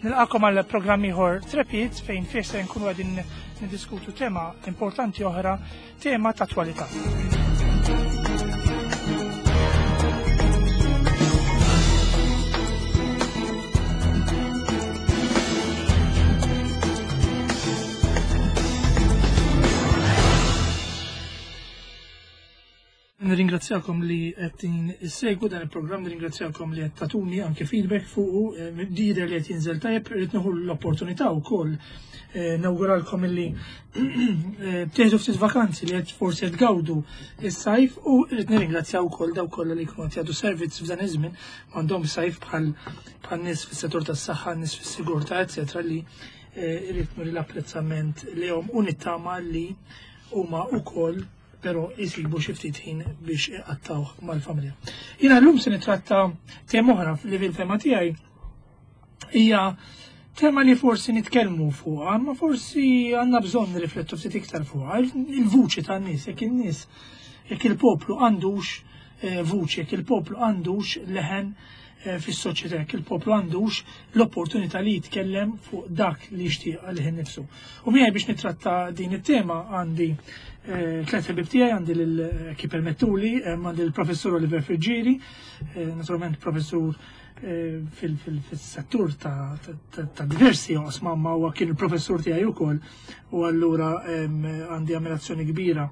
Nilqakom għal programm ieħor Trepid fejn fih se nkunu qegħdin niddiskutu tema importanti oħra, tema ta' attwalità. Nirringrazzjakom li qed issegwu dan il-programm, nirringrazzjakom li qed tatuni anke feedback fuqu, eh, jidher li qed jinżel tajjeb, irid nieħu l-opportunità wkoll eh, nawguralkom illi eh, tieħdu ftit vakanzi li qed forsi qed tgawdu is-sajf u rrid nirringrazzjaw ukoll dawk kollha li jkunu qed jagħtu servizz f'dan iż-żmien m'għandhom sajf bħal bħal nies fis-settur tas-saħħa, nies fis-sigurtà, eċetera li irrid nuri l-apprezzament lejhom u nittama li huma wkoll però jisibu xi ftit ħin biex iqattawh mal-familja. Jiena llum se nitratta tema oħra li fil-fema tiegħi hija tema li forsi nitkellmu fuqha, ma forsi għandna bżonn nirriflettu ftit iktar fuqha, il-vuċi tan-nies, jekk in-nies, jekk il-poplu għandux eh, vuċi, jekk il-poplu għandux leħen Eh, fis-soċjetà jekk il-poplu għandux l-opportunità li jitkellem fuq dak li jixtieq għalih innifsu. U miegħi biex nitratta din it-tema għandi eh, tliet ħbib tiegħi għandi lil eh, kif permettuli għandi l-professur Oliver Friggieri, naturalment professur fil-settur ta' diversi oqsma ma huwa kien il-professur tiegħi wkoll u allura għandi ammirazzjoni kbira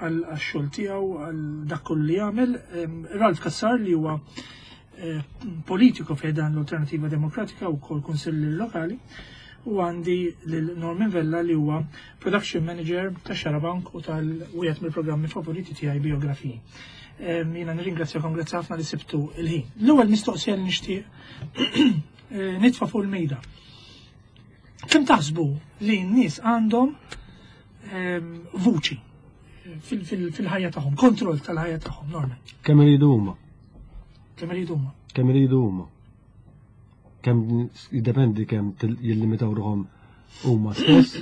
għal xogħol tiegħu għal dak kollu li jagħmel. Ralf Kassar li huwa eh, politiku fejn dan l-Alternativa Demokratika u kol kunsilli lokali u għandi lil Norman Vella li huwa production manager ta' Xarabank u tal-wieħed mill-programmi favoriti tiegħi biografiji. Jiena nirringrazzjakom grazzi ħafna li sibtu il-ħin. L-ewwel mistoqsija li nixtieq eh, nitfa' fuq il-mejda. Kemm taħsbu li n-nies għandhom ehm, vuċi fil-ħajja tagħhom, kontroll tal-ħajja tagħhom, Norman? Kemm iridu huma? Kemm iridu huma? Kemm iridu huma? Kemm jiddependi kemm jillimitaw ruħhom huma stess,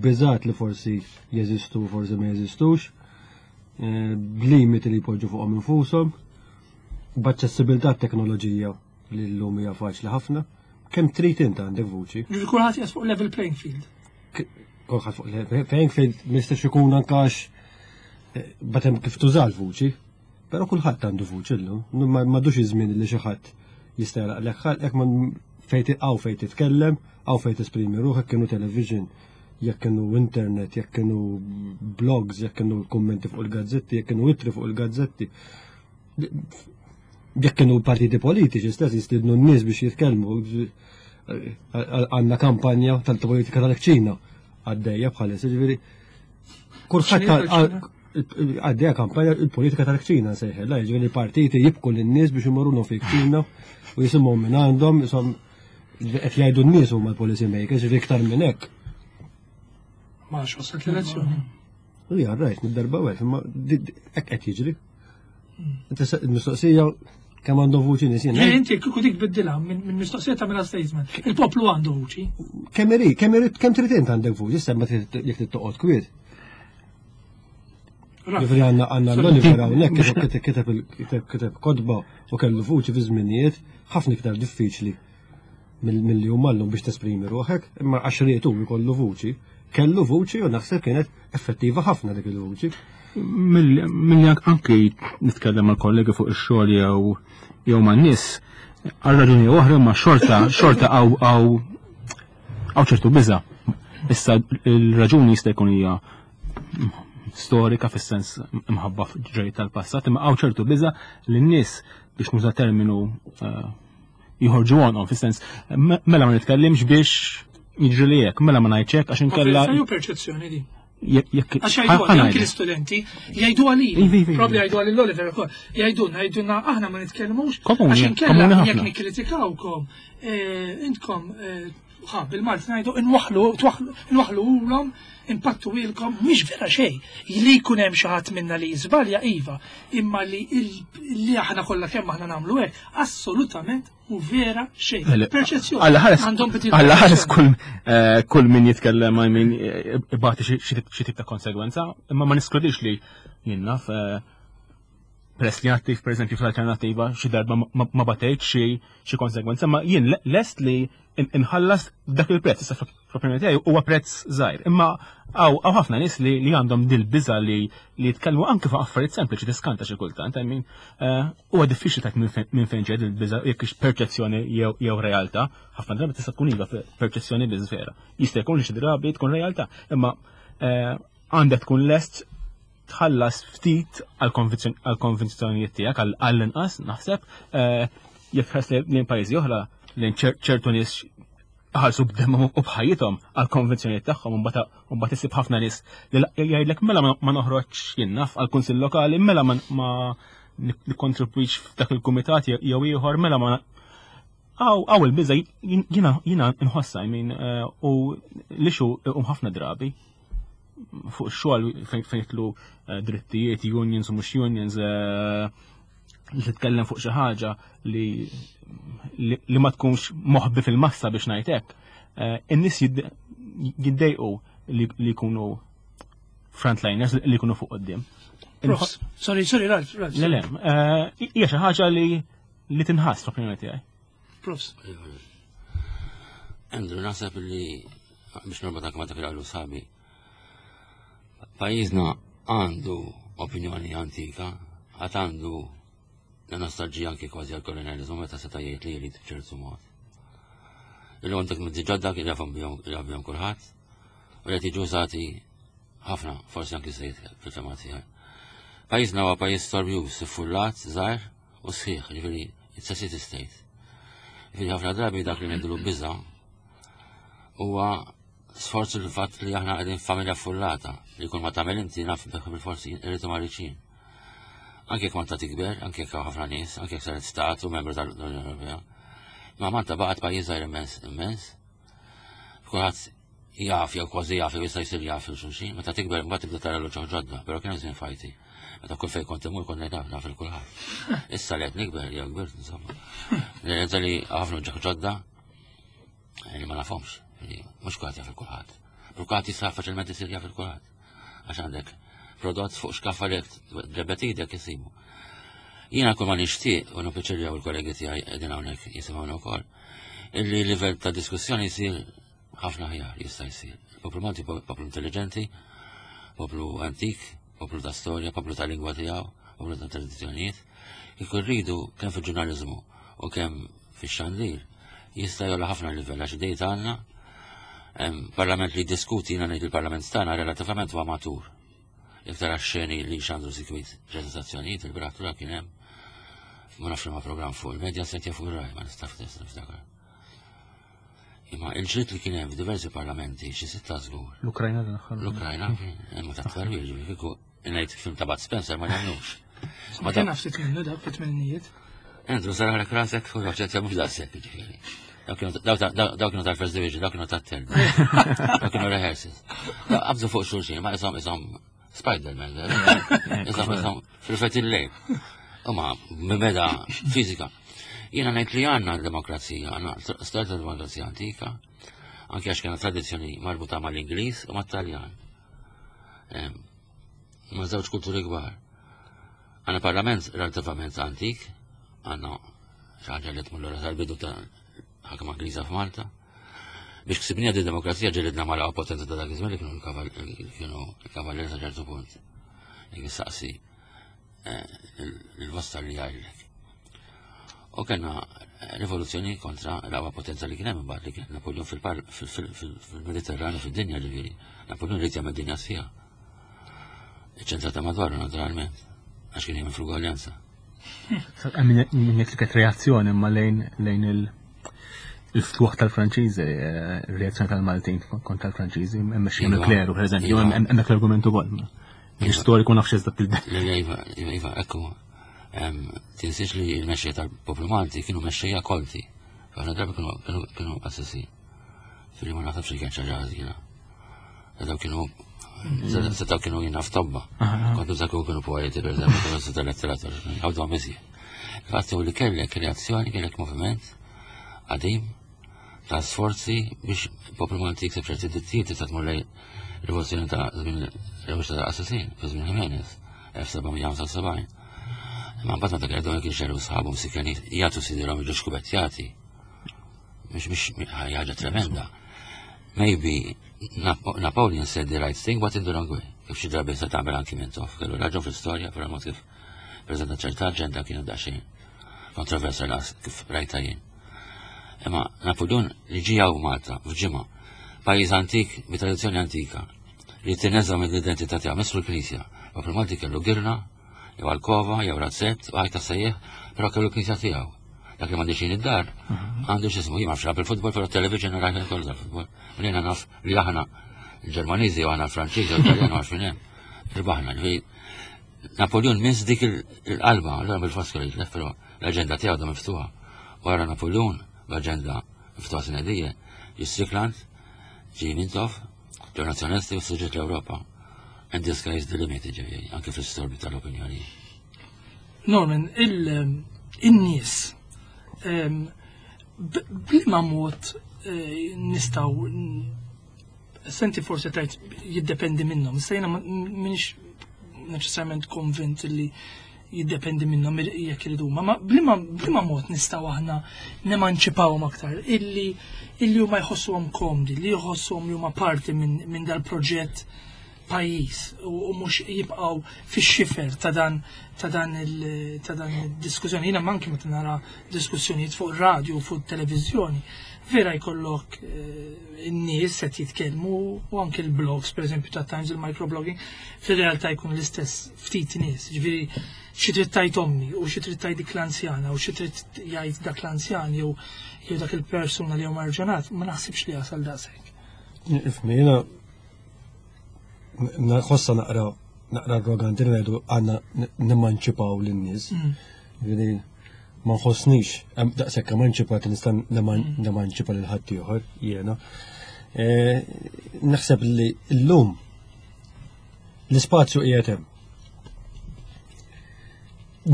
biżat li forsi jeżistu forsi ma jeżistux, eh, b'limiti li jpoġġu fuqhom infushom, b'aċċessibilità teknoloġija li llum hija faċli ħafna. Kemm trid int għandek vuċi. Ġifieri kulħadd qiegħed fuq level playing field. Kulħadd fuq level playing field ma jistax ikun anke għax eh, batem kif tuża l-vuċi. Però kulħadd għandu vuċi llum. M'għadux iż-żmien li xi ħadd jista' jaraqlek ħalqek ma fejn hawn fejn titkellem, hawn fejn tesprimi ruħek kienu television, jekk kienu internet, jekk kienu blogs, jekk kienu kummenti fuq il-gazzetti, jekk kienu ittri fuq il-gazzetti jekk kienu partiti politiċi stess jistidnu n-nies biex jitkellmu għandna kampanja tal-politika tal-ċina għaddejja bħalissa ġifieri kulħadd għaddejja kampanja il-politika tal-ċina sejħella, ġifieri partiti jibku lin-nies biex imorru fi ċina u jisimgħu minn għandhom, jisom qed jgħidu n-nies huma l-policy makers, ġifieri iktar minn hekk. Ma wasalt l-elezzjoni. Ija, rajt, mid-darba għek, imma hekk qed jiġri. Mistoqsija kemm għandhom vuċi nies jien. Inti kieku dik biddilha minn mistoqsija tagħmilha statement. Il-poplu għandu vuċi. Kemm irid, kemm irid, kemm trid int għandek vuċi, semma jekk trid toqgħod kwiet. Ġifieri għandna għandna l-Oliver hawnhekk kiteb kiteb kiteb kotba u kellu vuċi fi żminijiet ħafna iktar diffiċli milli huma llum biex tesprimi ruħek, imma għax rietu jkollu vuċi, kellu vuċi u naħseb kienet effettiva ħafna dik il-vuċi. Milli anki nitkellem mal kollegi fuq ix-xogħol jew jew man-nies, għal raġuni oħra ma xorta xorta għaw għaw għaw ċertu biża. Issa il-raġuni jista' jkun hija storika fis-sens imħabba ġej tal-passat, imma għaw ċertu biża li n-nies biex nuża terminu eh, jħorġu għonqhom fis-sens mela ma nitkellimx biex jiġri li hekk, mela ma ngħidx hekk għax inkella. Jew perċezzjoni di. Jekk Għax jgħidu anki l-istudenti, jgħidu għalili, Iva, iva, iva. probabli jgħidu għalil Oliver ukoll, jgħidulna, jgħidulna aħna ma nitkellmux, Komuni, għax inkella komuni ħafna. jekk nikkritikawkom, eh, intkom eh, ħa bil-Malti ngħidu inwaħħlu inwaħħlu ulhom, impattu ilkom, mhix vera xejn. Li jkun hemm xi ħadd minna li jiżbalja iva, imma li li aħna kollha kemm aħna nagħmlu hekk, assolutament u vera xejn. Perċezzjoni. Alla ħares Għandhom bitil Alla ħares kull eh, kull min jitkellem I mean eh, ibati xi tip ta' konsegwenza, imma ma niskludix li jien naf eh, Peress li attiv pereżempju fl-alternattiva xi darba ma batejt xi konsegwenza, ma jien lest li inħallas dak il-prezz, issa fl-opinjoni tiegħi huwa prezz żgħir. Imma hawn ħafna nies li għandhom dil biża li jitkellmu anke fuq affarijiet sempliċi tiskanta xi kultant, I mean, eh, huwa diffiċli tajt minn fejn ġed il-biża jekk hix perċezzjoni jew realtà, ħafna drabi tista' tkun iva perċezzjoni biż vera. Jista' jkun li xi drabi tkun realtà, imma eh, għandek tkun lest tħallas ftit għall-konvinzjonijiet tiegħek għall-inqas naħseb eh, jekk tħares lejn pajjiżi oħra lejn ċertu nies ħalsu b'demhom u b'ħajjithom għall-konvinzjonijiet tagħhom u mbagħad isib ħafna nies li jgħidlek mela ma noħroġx jien naf għall-kunsill lokali, mela ma nikkontribwix f'dak il-kumitat jew ieħor, mela ma Għaw il-biża jiena nħossa, I mean, eh, u li xu um ħafna drabi fuq xogħol fejn jitlu eh, drittijiet, unions u mhux unions, eh, li titkellem fuq xi ħaġa li li ma tkunx moħbi fil-massa biex ngħid hekk, eh, in-nies jiddejqu li jkunu frontliners li jkunu fuq qudiem. Sorry, sorry, Ralf, Ralf. Le, le, hija xi ħaġa li li tinħass fl-opinjoni tiegħi. Profs. Andrew, naħseb li biex norbot anke ma' dak li qalu sabi. Pajjiżna għandu opinjoni antika, għad għandu nostalġija anki kważi għal-kolonializmu meta seta' jgħid li jrid b'ċertu mod. Illum għandek mezzi ġodda kien jafhom bihom kulħadd u li qed jiġu użati ħafna, forsi anki żejt fil-fema tiegħi. Pajjiżna huwa pajjiż storbjuż, iffullat, żgħir u sħiħ, ġifieri it's a city state. Ġifieri ħafna drabi dak li ngħidulu biża' huwa sforz il-fatt li aħna qegħdin f'familja fullata li kull ma tagħmel inti naf bil-forsi irridu mariċin. Anke jekk Malta tikber, anke jekk hawn ħafna nies, anke jekk saret stat u membru tal-Unjoni Ewropea. Ma Malta baqgħet pajjiż żgħir immens, immens. Kulħadd jaf jew kważi jaf jew jista' jsir jaf il xulxin, meta tikber mbagħad tibda tara l-uċuħ ġodda, però kien żmien fajti. Meta kull fejn kont imur kont ngħid naf il kulħadd. Issa li qed nikber jew kbirt insomma. Nirrealizza li ħafna uċuħ ġodda li ma nafhomx, li mhux kulħadd jaf il-kulħadd. Però kulħadd jista' faċilment isir jaf il-kulħadd. Għax għandek prodott fuq xkaffa li ġebet idek isibu. Jiena kull ma nixtieq u nippiċirja u l-kollegi tiegħi qegħdin hawnhekk jisimgħuna wkoll, illi livell ta' diskussjoni jsir ħafna ħjar jista' jsir. Il-poplu Malti poplu intelligenti, poplu antik, poplu ta' storja, poplu ta' lingwa tiegħu, poplu ta' tradizzjonijiet. Kieku rridu kemm fil-ġurnaliżmu u kemm fix-xandir jista' jola ħafna livell għax idejt għandna parlament li jiddiskuti jiena ngħid il-parlament tagħna relattivament huwa matur. Jekk tara x-xeni li xandru sikwit ġenerazzjonijiet il-brattura kien hemm ma nafx ma programm fuq il-medja set fuq ir-raj ma nistax niftakar. Imma il-ġrid li kien hemm f'diversi parlamenti xi sitta żgur. L-Ukrajna l-aħħar. L-Ukrajna imma ta' twerwir ġifieri kieku ngħid film ta' Bud Spencer ma jagħmlux. Ma kien ftit minnu dak fit-tmennijiet. Andrew saraħlek rasek u ċerta mhux daqshekk ġifieri. Daw kienu tal-First Division, daw kienu tat-third. Daw kienu rehearsals. Qabżu fuq xulxin, ma isom isom Spider-Man, isom isom fil-fet il-lejl. Imma mibeda fizika. Jiena ngħid li għandna demokrazija, għandna storja ta' demokrazija antika, anke għax kena tradizzjoni marbuta mal-Ingliż u mat-Taljan. Ma' żewġ kulturi kbar. Għandna parlament relativament antik, għandna xi ħaġa li tmur lura tal-bidu ta' ħakma Ingliża f'Malta. Biex ksibnija di demokrazija ġelidna mal potenza ta' dak iż-żmien li kienu l-kavallieri sa ċertu punt. Jekk issaqsi eh, l-bosta li jgħidlek. U kena rivoluzzjoni kontra l-aqwa potenza li kien hemm imbagħad li kien Napoleon fil-Mediterranu fid-dinja ġifieri. Napoleon rid jagħmel dinja sħiħa. Iċ-ċentrata madwaru naturalment, għax kien jagħmel fl-ugwaljanza. Min jekk li kienet reazzjoni imma lejn lejn il-ftuħ tal-Franċiżi, eh, reazzjoni tal-Maltin kontra l-Franċiżi, hemm xi iva. kleru, pereżempju, iva. hemmhekk l-argument ukoll. Iva. Storiku nafx eżatt il Iva, iva, ekku. Tinsiex li l-mexxejja tal-poplu Malti kienu mexxejja kolti. Ħafna drabi kienu assessin. Fili ma naħsibx li kien ċaġa ħażina. Daw kienu Setaw kienu jina f'tobba. Kontu zaku kienu poeti, per eżempju, kienu seta letteratur, għawdu għamizi. Fattu li kellek reazzjoni, kellek moviment, għadim, ta' sforzi biex poplu Malti jikseb ċerti drittijiet tista' tmur lejn rivoluzzjoni ta' żmien Revoluzzjoni ta' Assassin, fi żmien Jimenez, 1775. Imma mbagħad meta qegħdu kien xeru sħabu msikeni jagħtu sidirhom jiġu xkubettjati. Mhux mhux ħaġa tremenda. Maybe Napoleon said the right thing but in the wrong way. Kif xi drabi se tagħmel anki minn tof, kellu raġun fl-istorja, però mod kif preżenta ċerta aġenda kienu daqsxejn kontroversja las kif rajta jien. Imma Napoleon li ġie hawn Malta f'ġimgħa, pajjiż antik bi tradizzjoni antika, li tinneża mill-identità tiegħu messu l-Knisja. Poplu Malti kellu girna, jew alkova, jew razzett, u għajta sejjeħ, però kellu l-knisja tiegħu. Dak li m'għandix jien id-dar, għandu x'ismu, jien ma nafx il-futbol, però television rajt kollu tal-futbol. U jiena naf li aħna il-Ġermaniżi u aħna l-Franċiżi u l-Italjan u għarfien hemm. Irbaħna, ġifieri Napoleon miss dik il-qalba, allura bil-fors kellu jitlef, però l-aġenda tiegħu da miftuħa. Wara Napoleon, l-aġenda miftuħa sinedije, ġie Strickland, ġie Mintoff, ġew nazzjonalisti u suġġett l-Ewropa. And the sky is the limit, ġifieri, anke fl-istorbi tal-opinjoni. Norman, il-nies bliema mod eh, nistaw senti forsi tajt jiddependi minnhom, issa jiena minix neċessarjament konvint li jiddependi minnhom jekk iridu huma, ma bliema bliema mod nistgħu aħna nemanċipawhom aktar illi illi huma jħossuhom komdi, li jħossuhom li huma parti minn min dal-proġett pajjiż u mhux jibqgħu fix-xifer ta' dan ta' dan il ta' dan id-diskussjoni. Jiena manki meta nara diskussjonijiet fuq radio fuq televiżjoni, vera jkollok eh, in-nies qed jitkellmu u anke l-blogs, pereżempju ta' Times il-microblogging, fir-realtà jkun l-istess ftit nies. Ġifieri xi trid tgħid ommi u xi trid tgħid dik l-anzjana u xi trid jgħid dak l-anzjan jew jew dak il-persuna li hu marġanat, ma naħsibx li jasal daqshekk. Ifmi, jiena nħossa naqra naqra arroganti li ngħidu għandna nimmanċipaw lin-nies. Mm. Ġifieri ma nħossnix daqshekk emanċipat nista' mm. nemanċipa lil ħaddieħor jiena. E, naħseb li llum l-ispazju qiegħed hemm.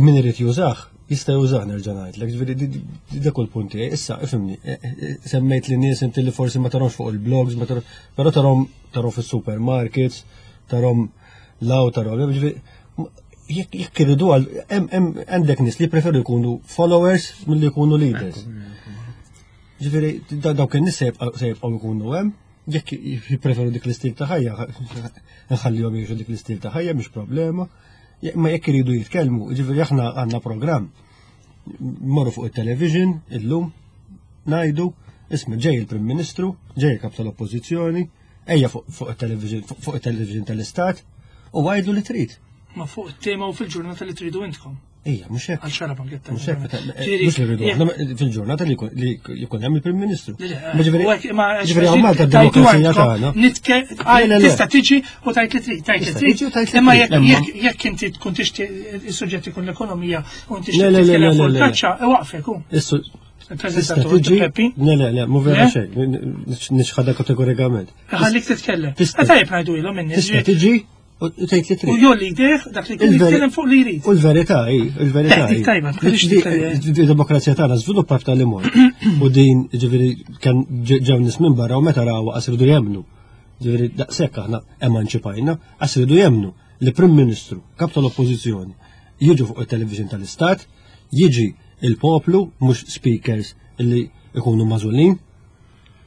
Min irid jużah, jista' jużah nerġa' ngħidlek, ġifieri dak il-punt tiegħi. Issa, ifhimni, e, e, e, semmejt li nies inti li forsi ma tarhomx fuq il-blogs, ma tarhom, però tarhom tarhom fis-supermarkets, tarhom law tarhom, ġifieri jekk iridu għal hemm għandek nies li preferu jkunu followers milli jkunu leaders. Ġifieri dawk in-nies se jibqgħu jkunu hemm, jekk jippreferu dik l-istil ta' ħajja, nħallihom jgħixu dik l-istil ta' ħajja mhix problema. Ma jekk iridu jitkellmu, ġifieri aħna għandna programm. Morru fuq it-television illum ngħidu isma' ġej il-Prim Ministru, ġej il-Kap tal-Oppożizzjoni, ejja fuq it-television fuq it-television tal-Istat u għajdu li trid. Ma fuq it-tema u fil-ġurnata li tridu intkom. Ija, mhux hekk. Għal xara banketta. Mhux hekk, mhux li rridu aħna fil-ġurnata li jkun hemm il-Prim Ministru. Ġifieri hawn Malta d-demokrazija tagħna. Tista' tiġi u tajt li trid, tajt li trid. Imma jekk inti tkun tixtieq is-suġġett ikun l-ekonomija u inti tixtieq titkellem fuq il-kaċċa, iwaqfek hu. Tista' tiġi. Le, le, le, mhu vera xejn, nixħadha kategorikament. Ħallik titkellem. Tajjeb ngħidu ilhom in-nies. Tista' tiġi U tgħid li trid. U jolli jdejh dak li jkun jitkellem fuq li jrid. U l-verità hi, il-verità hi. Tajba, Il-demokrazija tagħna żviluppa f'tali mod. U din ġifieri kien ġew nies minn barra u meta raw qas iridu jemmnu. Ġifieri daqshekk aħna emanċipajna, qas iridu jemmnu li Prim Ministru, kap tal-Oppożizzjoni, jiġu fuq it-television tal-Istat, jiġi il-poplu, mhux speakers li ikunu magħżulin,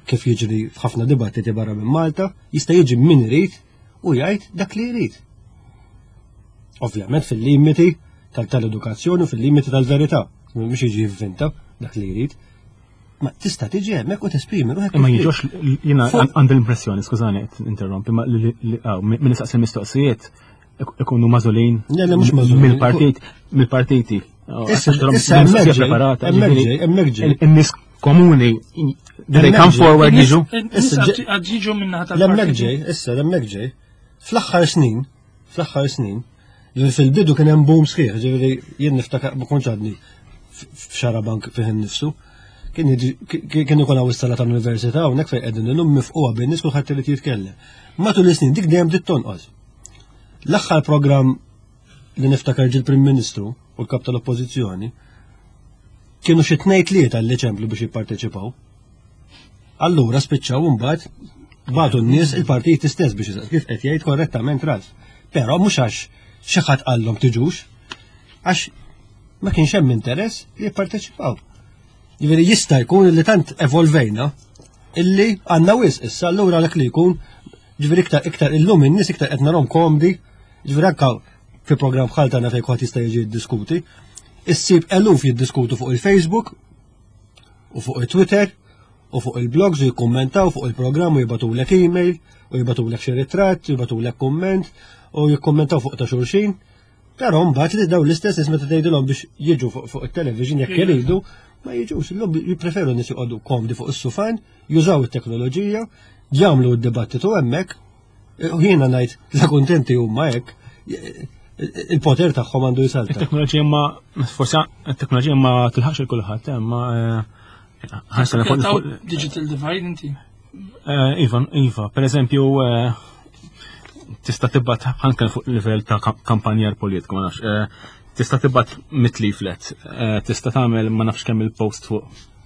kif jiġri f'ħafna dibattiti barra minn Malta, jista' jiġi min irid u jgħid dak li jrid. Ovvjament fil-limiti tal-edukazzjoni u fil-limiti tal-verità, mhux jiġi jivvinta dak li jrid. Ma tista' tiġi hemmhekk u tesprimi ruħek. Ma jiġux jiena għandi l-impressjoni, skużani qed interrompi, ma li min nistaqsi mistoqsijiet ikunu mażulin. Le, le mhux mażulin. Mill-partit, mill-partiti. Issa hemmhekk preparata. Hemmhekk ġej. In-nies komuni do they come forward jiġu? Għad jiġu minna tal L-hemmhekk ġej, issa l-hemmhekk ġej. Fl-aħħar snin, fl-aħħar snin, fil-bidu kien hemm boom sħiħ, ġifieri jien niftakar ma kontx għadni f'xarabank fih innifsu. Kien ikun hawn is-sala tal-università hawnhekk fejn qegħdin illum mifquha bin-nies kulħadd irid jitkellem. Matul is-snin dik dejjem bdiet tonqos. L-aħħar programm li niftakar ġil Prim Ministru u l-Kap tal-Oppożizzjoni kienu xi tnejn tlieta li ċemplu biex jipparteċipaw. Allura spiċċaw imbagħad bagħtu n-nies il-partit stess biex kif qed jgħid korrettament ras. Però mhux għax xi ħadd qallhom tiġux, għax Ma kienx hemm interess li jipparteċipaw. Jiġifieri jista' jkun li tant evolvejna illi għandna wisq issa allura dak li jkun ġifieri iktar iktar illum in-nies iktar qed narhom komdi, ġifieri anke fi programm bħal tagħna fejn kulħadd jista' jiġi jiddiskuti, issib eluf jiddiskutu fuq il-Facebook u fuq il-Twitter u fuq il-blogs u jikkummentaw fuq il-programm u jibatulek email u jibatulek xi ritratt, u jibatulek kumment u jikkummentaw fuq ta' xulxin. Però mbagħad li dawn l-istess nies meta tgħidilhom biex jiġu fuq it-television jekk iridu, ma jiġux, illum jippreferu nies joqogħdu komdi fuq is-sufan, jużaw it-teknoloġija, jagħmlu d-dibattitu hemmhekk, u jiena ngħid la kuntenti huma hekk, il-poter tagħhom għandu jsalta. Il-teknoloġija ma forsi it-teknoloġija ma tilħaqx il kulħadd, eh, ma eh, digital divide inti. Eh, iva, iva, per eżempju, eh, tista' tibgħat anke fuq livell ta' kampanjar politiku, ma nafx, eh, tista' tibgħat mit leaflet, tista' tagħmel ma nafx kemm il-post fuq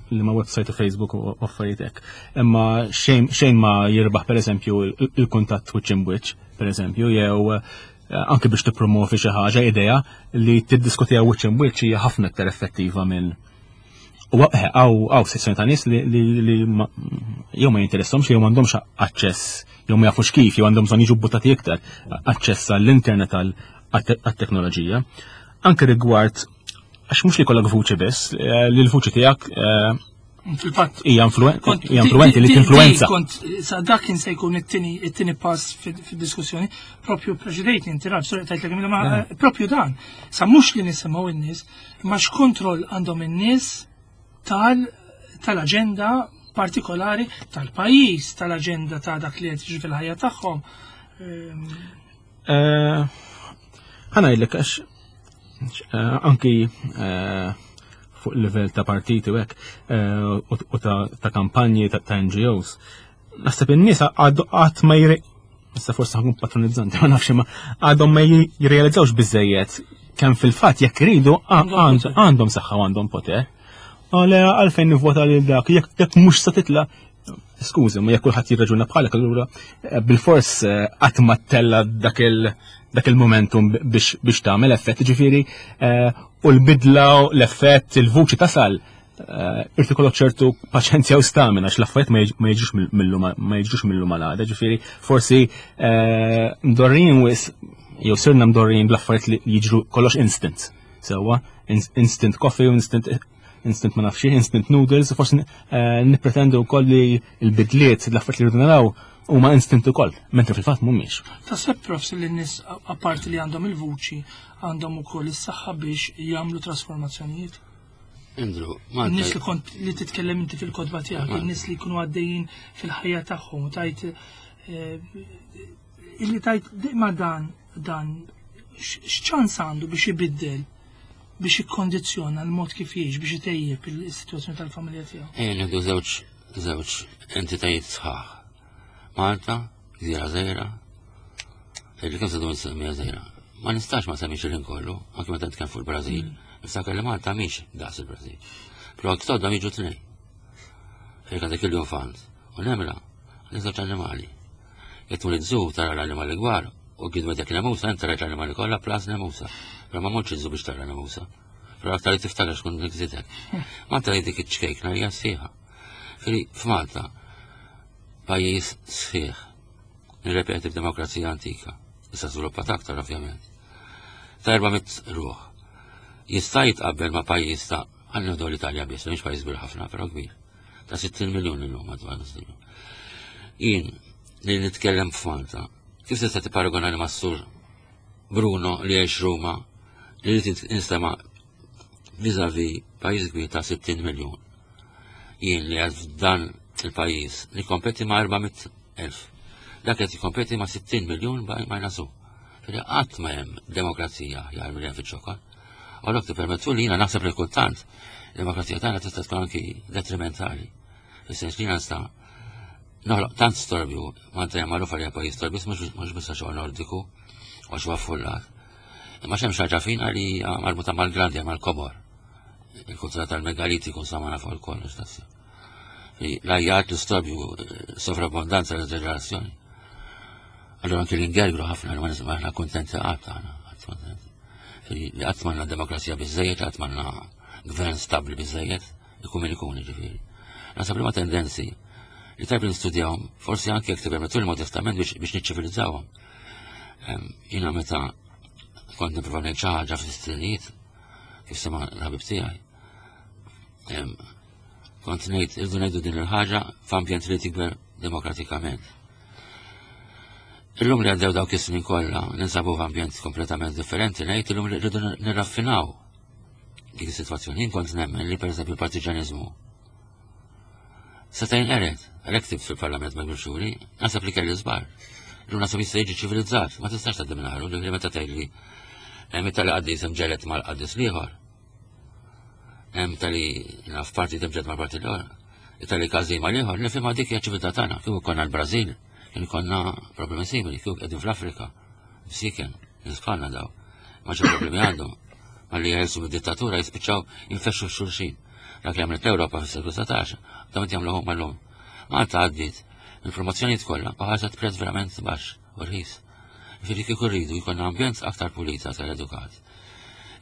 li ma website u Facebook u affarijiet hekk. Imma xejn ma jirbaħ pereżempju il-kuntatt wiċċ imwiċċ, pereżempju, jew anke biex tippromovi xi ħaġa idea li tiddiskutiha wiċċ imwiċċ hija ħafna iktar effettiva minn U eh, għaw sezzjoni ta' nies li jew ma jinteressahomx jew m'għandhomx aċċess, jew ma jafux kif, jew għandhom bżonn jiġu buttati iktar aċċess għall-internet għall-teknoloġija. Anke rigward għax mhux li kollok vuċi biss, eh, li l-vuċi tiegħek eh, Fil-fatt hija influenti li tinfluenza. Kont sa dak kien se jkun it-tieni pass fid-diskussjoni, propju preċedejt inti raf, sorry tajtlek ma propju dan. Sa mhux li nisimgħu in-nies, Imma x'kontroll għandhom in-nies tal-aġenda partikolari tal-pajjiż, tal-aġenda ta' dak li qed jiġri fil-ħajja tagħhom. Ehm, eh, ħa ngħidlek għax eh, anki eh, fuq livell ta' partiti u hekk u ta' kampanji ta' NGOs. Naħseb in-nies għadu qatt ma jri issa forsi ħankun patronizzanti, ma nafx ma għadhom ma jirrealizzawx biżejjed kemm fil-fatt jekk iridu għandhom saħħa u għandhom poter. Għale għalfejn nivvota lil dak, jekk mhux se titla' skużi, ma jekk kulħadd jirraġuna bħalek allura eh, bil-fors eh, qatt ma tella dak il dak il-momentum biex biex tagħmel effett, ġifieri eh, u l-bidla l-effett, il-vuċi tasal Eh, irti kollok ċertu paċenzja u stamina għax l-affarijiet ma jiġux millu ma jiġux millu malada, ġifieri forsi eh, mdorrin wis jew sirna mdorrin bl-affarijiet li jiġru kollox instant. Sewwa, instant coffee u instant instant ma nafx instant noodles, forsi eh, nippretendu wkoll li l-bidliet l-affarijiet li rridu naraw huma instant ukoll, mentri fil-fatt mhumiex. Taħseb profs li n-nies apparti li għandhom il-vuċi għandhom ukoll is-saħħa biex jagħmlu trasformazzjonijiet? Andrew, Malta. Nies li kont li titkellem inti fil-kodba tiegħek, in-nies li jkunu għaddejjin fil-ħajja tagħhom u tajt eh, illi tajt ma dan dan x'ċans għandu biex ibiddel biex ikkondizzjona l-mod kif jgħix biex itejjeb il-sitwazzjoni tal-familja tiegħu. Ejja nieħdu żewġ żewġ entitajiet sħaħ. Malta, gżira żgħira, li kemm se dum semmija żgħira. Ma nistax ma semmix il kollu, anke meta nitkellem fuq il-Brażil. Niftakar li Malta mhix daqs il-Brażil. Però għak jiġu tnejn. Fejn għandek il-jofant u nemla, għandek żewġ annimali. Jekk tmur iż-żu tara l-annimali kbar u kien dak nemusa, inti rajt l-annimali kollha plus nemusa. Però ma mortx iż-żu biex tara nemusa. Però aktar li tiftakar xkun nikżidek. Malta li dik iċ-ċkejkna hija sħiħa. F'Malta, pajjiż sħiħ Nirrepeti f'demokrazija antika, issa żviluppat aktar ovvjament. Ta' 400 ruħ. Jista' jitqabbel ma' pajjiż ta' ħalli nieħdu l-Italja biss, mhix pajjiż kbir ħafna, però kbir. Ta' 60 miljun illum madwar nus Jien li nitkellem f'Malta, kif tista' tipparagona li mas-sur Bruno li jgħix Ruma li jrid instema' vis-a-vis pajjiż kbir ta' 60 miljun. Jien li għad f'dan il-pajjiż nikkompeti ma' 400,000. Dak qed jikkompeti ma' 60 miljun ma' nasu. Fili qatt ma hemm demokrazija aħjar milli hemm fiċ-ċokon. U allura tippermettu li jiena naħseb li kultant demokrazija tagħna tista' tkun anki detrimentali. Fis-sens li jiena nista' noħloq tant storbju, Malta hija magħrufa li hija pajjiż storbju, mhux biss għax huwa Nordiku, għax huwa affullat. Imma x'hemm xi ħaġa fina li hija marbuta mal-grandja, mal-kobor. Il-kultura tal-megalitiku insomma nafu l-kollox tassew. L-ajjat, l-istorbju, sovrabbondanza, l-eżagerazzjoni. Allora anke l-ingergru ħafna, ma nisma' aħna kuntenti qatt aħna, qatt kuntenti. Li qatt m'għandna demokrazija biżejjed, qatt m'għandna gvern stabbli biżejjed, ikun min ikun ġifieri. Naħseb li ma tendenzi li tajb li nistudjawhom, forsi anke jekk tippermettu li modestament biex niċċivilizzawhom. Jiena meta kont nipprova ngħid xi ħaġa fis-sittinijiet, kif sema' l-ħabib tiegħi. Kont ngħid irdu ngħidu din il-ħaġa f'ambjent li tikber demokratikament. Illum li għaddew dawk is-snin kollha ninsabu f'ambjent kompletament differenti, ngħid illum li rridu nirraffinaw dik is-sitwazzjoni. Jien kont nemmen li pereżempju l-partiġaniżmu seta' jinqered, għalhekk ktibt fil-Parlament ma' Xuri, naħseb li kelli żbar. Illum naħseb jista' jiġi ċivilizzat, ma tistax tgħaddi minn ħaru, ġifieri meta tgħidli hemm tali qaddis hemm ġelet mal-qaddis l-ieħor. Hemm tali naf parti temġed mal-parti l-oħra. Tali każin mal-ieħor, nifhimha dik hija ċiviltà tagħna, kieku konna l-Brażil, kien konna problemi simili, kieku qegħdin fl-Afrika, msiken, nies bħalna daw. Ma xi problemi għandhom. Ma li jeħilsu mid-dittatura jispiċċaw jinfexxu f'xulxin. Dak li għamlet l-Ewropa fis-seklu 19, dawn qed jagħmlu huma llum. Malta għaddiet il-promozzjonijiet kollha u ħarset prezz verament baxx u rħis. Ġifieri kieku rridu jkollna ambjent aktar pulit, aktar edukat.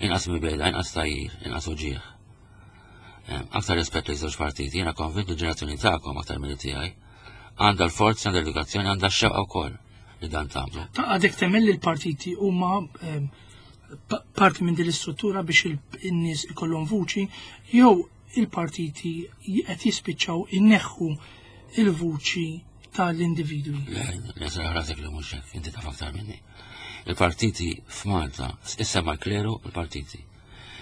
Inqas mibegħda, inqas tajjir, inqas uġigħ. Aktar rispett li żewġ partiti, jiena konvint li l-ġenerazzjoni tagħkom aktar milli tiegħi għandha l-forza, għandha l-edukazzjoni, għandha x-xewqa wkoll li dan tagħmlu. Ta' għadek temmen li l-partiti huma parti minn din l-istruttura biex in-nies ikollhom vuċi jew il-partiti qed jispiċċaw inneħħu il-vuċi tal-individwi. Le, le, rasek li mhux hekk, inti taf aktar minni. Il-partiti f'Malta, issa mal-kleru il-partiti.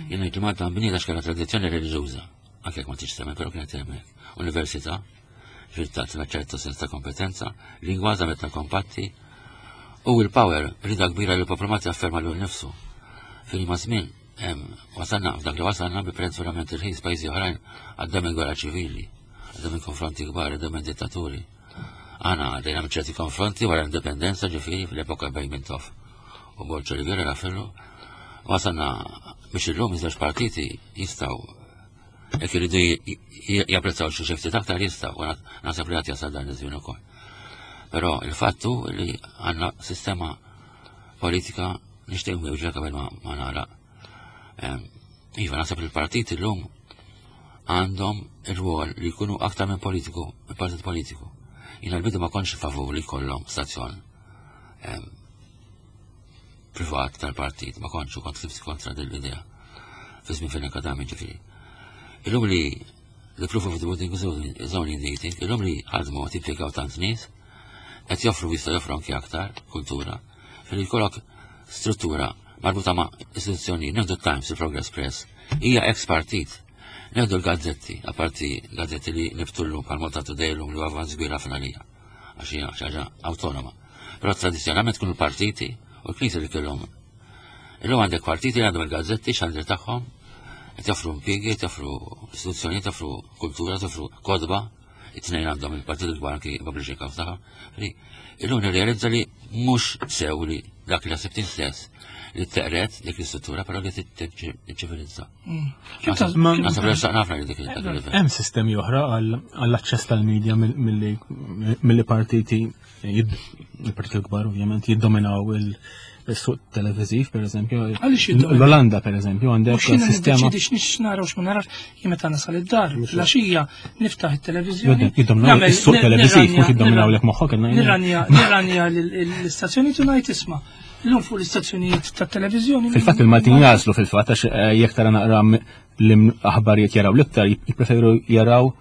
Jien ngħid li Malta nbniet għax kellha tradizzjoni reliġjuża, anke jekk ma tix temmen, però kienet hemmhekk. Università, ġifieri tagħtina ċertu sens ta' kompetenza, lingwa żametna kompatti, u il-power rida kbira li l-poplu Malti afferma lilu nnifsu. Fil ma' żmien wasalna f'dak li wasalna bi prezz verament irħis pajjiżi oħrajn għaddew minn gwerra ċivili, għaddew minn konfronti kbar, għaddew minn dittaturi. Aħna għaddejna minn ċerti konfronti wara l-indipendenza ġifieri fl-epoka bejn Mintoff u Borg Olivier Raffaello. Wasalna biex illum iż-żewġ partiti jistgħu jekk iridu japprezzaw xi xi ftit aktar jistgħu, u naħseb li għad jasal dan iż-żmien ukoll. Però il-fatt hu li għandna sistema politika nixtieq nwieġbek qabel ma nagħlaq. Iva, naħseb li l-partiti llum għandhom ir-rwol li jkunu aktar minn politiku, minn partit politiku. Jiena l-bidu ma kontx favur li jkollhom stazzjon privat tal-partit, ma kontx u kont ktibt kontra din l-idea. Fi żmien fejn akademi ġifieri. Illum li the proof of the pudding is only in the eating, illum li ħadmu qed jimpjegaw tant nies, qed joffru jista' joffru anki aktar kultura, fejn jkollok struttura marbuta ma' istituzzjoni, nieħdu Times, il-Progress Press, hija ex partit. Nieħdu l-gazzetti, apparti gazzetti li nibtu llum bħal Malta Today llum li huwa avvanz kbir ħafna lija, għax hija xi ħaġa awtonoma. Però tradizzjonalment kienu l-partiti u l-knisja li kellhom. Illum għandek partiti li għandhom il-gazzetti xandir tagħhom, qed joffru impjiegi, qed joffru istituzzjonijiet, joffru kultura, joffru kotba, it-tnejn għandhom il-partit il-kbar anki publishing house tagħhom. Illum nirrealizza li mhux sew li dak li ħsibt stess li teqret dik l-istruttura però li tiċċivilizza. Naħseb li ħafna li dik il-livell. Hemm sistemi oħra għall-aċċess tal-medja milli partiti il-partiti l-kbar ovvjament jiddominaw il-suq televiżiv, per eżempju. L-Olanda, per eżempju, għandek sistema. Għaliex nix nara u x'ma narax, jien meta nasal id-dar, l-għaxija niftaħ it-televiżjoni. Jiddominaw is-suq televiżiv, mhux jiddominaw lek moħħok. Nirranja l-istazzjoni tu ngħid isma' l-lum fuq l-istazzjonijiet tat-televiżjoni. Fil-fatt il-Maltin jażlu fil-fatt għax eh, jekk tara naqra l-aħbarijiet jaraw l-iktar jippreferu jaraw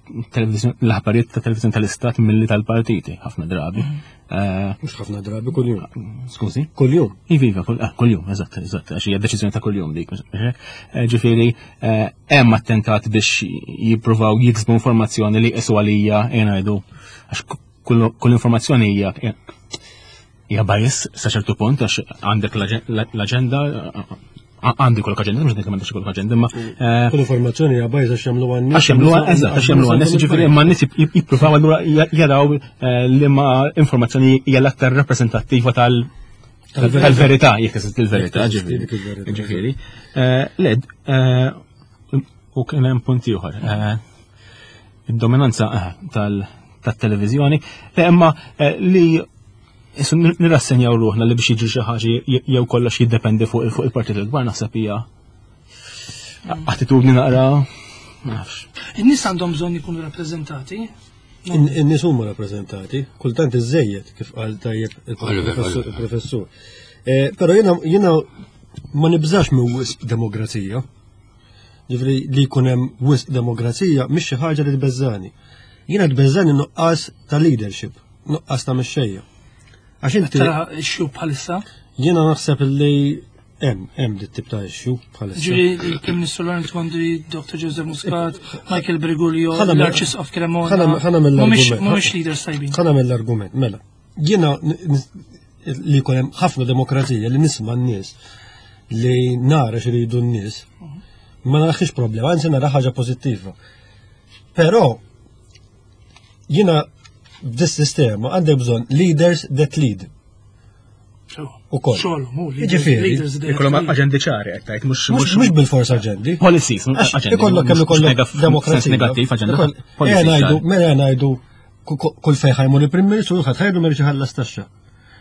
l-aħbarijiet ta' televizjoni tal-istat milli tal-partiti, ħafna drabi. Mhm. Eh, Mhux ħafna drabi kuljum. Skużi? Kuljum. Iva, iva, ah, kuljum, eżatt, eżatt, għax hija deċiżjoni ta' kuljum dik. Eh, ġifieri, eh, hemm attentat biex jippruvaw jiksbu informazzjoni li qisu għalija ngħidu għax kull informazzjoni hija hija bias sa ċertu punt għax għandek l-aġenda għandi kollok aġenda, mhux dik m'għandix kollok aġenda, imma eh, kull informazzjoni hija bias għax jagħmlu għan Għax jagħmlu eżatt, għax jagħmlu għan jiġifieri imma n-nies jippruvaw allura jaraw eh, li ma informazzjoni hija l-aktar rappreżentattiva tal tal-verità, jekk eżist il-verità, ġifieri. Eh, Led, u kien hemm punt ieħor. Id-dominanza tal-televiżjoni, imma li Issu nirrassenjaw ruħna li biex jiġri xi ħaġa jew kollox jiddependi fuq il-partit il-kbar naħseb hija attitudni naqra nafx. In-nies għandhom bżonn ikunu rappreżentati. In-nies huma rappreżentati, kultant iżejjed kif qal tajjeb il-professur. Eh, però jiena ma nibżax minn wisq demokrazija. Ġifri li jkun hemm wisq demokrazija mhix xi ħaġa li tbeżżani. Jiena tbeżżani nuqqas ta' leadership, nuqqas ta' mexxejja. Għax inti tara issue bħalissa? Jiena naħseb li hemm hemm dit tip ta' issue bħalissa. Ġifieri il-Prim Ministru Lawrence Gondri, Dr. Joseph Muscat, Michael Briguglio, l-Arċisqof Cremona. Ħana mill-argument. Mhumiex leaders tajbin. Ħana mill-argument, mela. Jiena li jkun hemm ħafna demokrazija li nisma' n-nies li nara x'iridu n-nies, ma narax problema, anzi nara ħaġa pożittiva. Però jiena b'dis sistema għandek bżonn leaders that lead. U koll. Ġifieri. Ikollhom aġendi ċari qed tgħid mhux mhux bil-fors aġendi. Policies, aġendi. Ikollok kemm ikollok demokrazija. Negattiv aġenda. Mela ngħidu, mela ngħidu kull fejn ħajmur il-Prim Ministru ħadd ħajdu ma ħallas taxxa.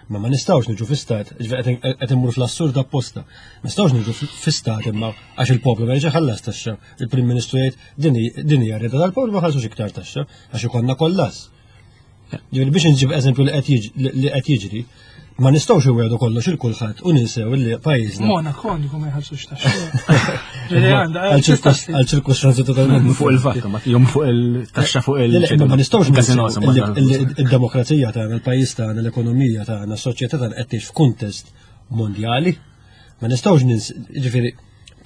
Ma ma nistgħux niġu fi stat, qed immur fl-assurd apposta. Ma nistgħux niġu fi stat imma għax il-poplu ma ħallas taxxa. Il-Prim Ministru jgħid din hija rida tal-poplu ma ħallsux iktar taxxa għax ikollna kollass. Ġifieri biex nġib eżempju li qed jiġri, ma nistgħux iwiegħdu kollox il kulħadd u ninsew li pajjiżna. Monaco għandkom ma jħallsux taxxa. Għal ċirkustanzi totalment. Fuq il-VAT, ma jom fuq il-taxxa fuq il. Ma nistgħux il-demokrazija tagħna, il-pajjiż tagħna, l-ekonomija tagħna, s-soċjetà tagħna qed tgħix f'kuntest mondjali. Ma nistgħux nins, ġifieri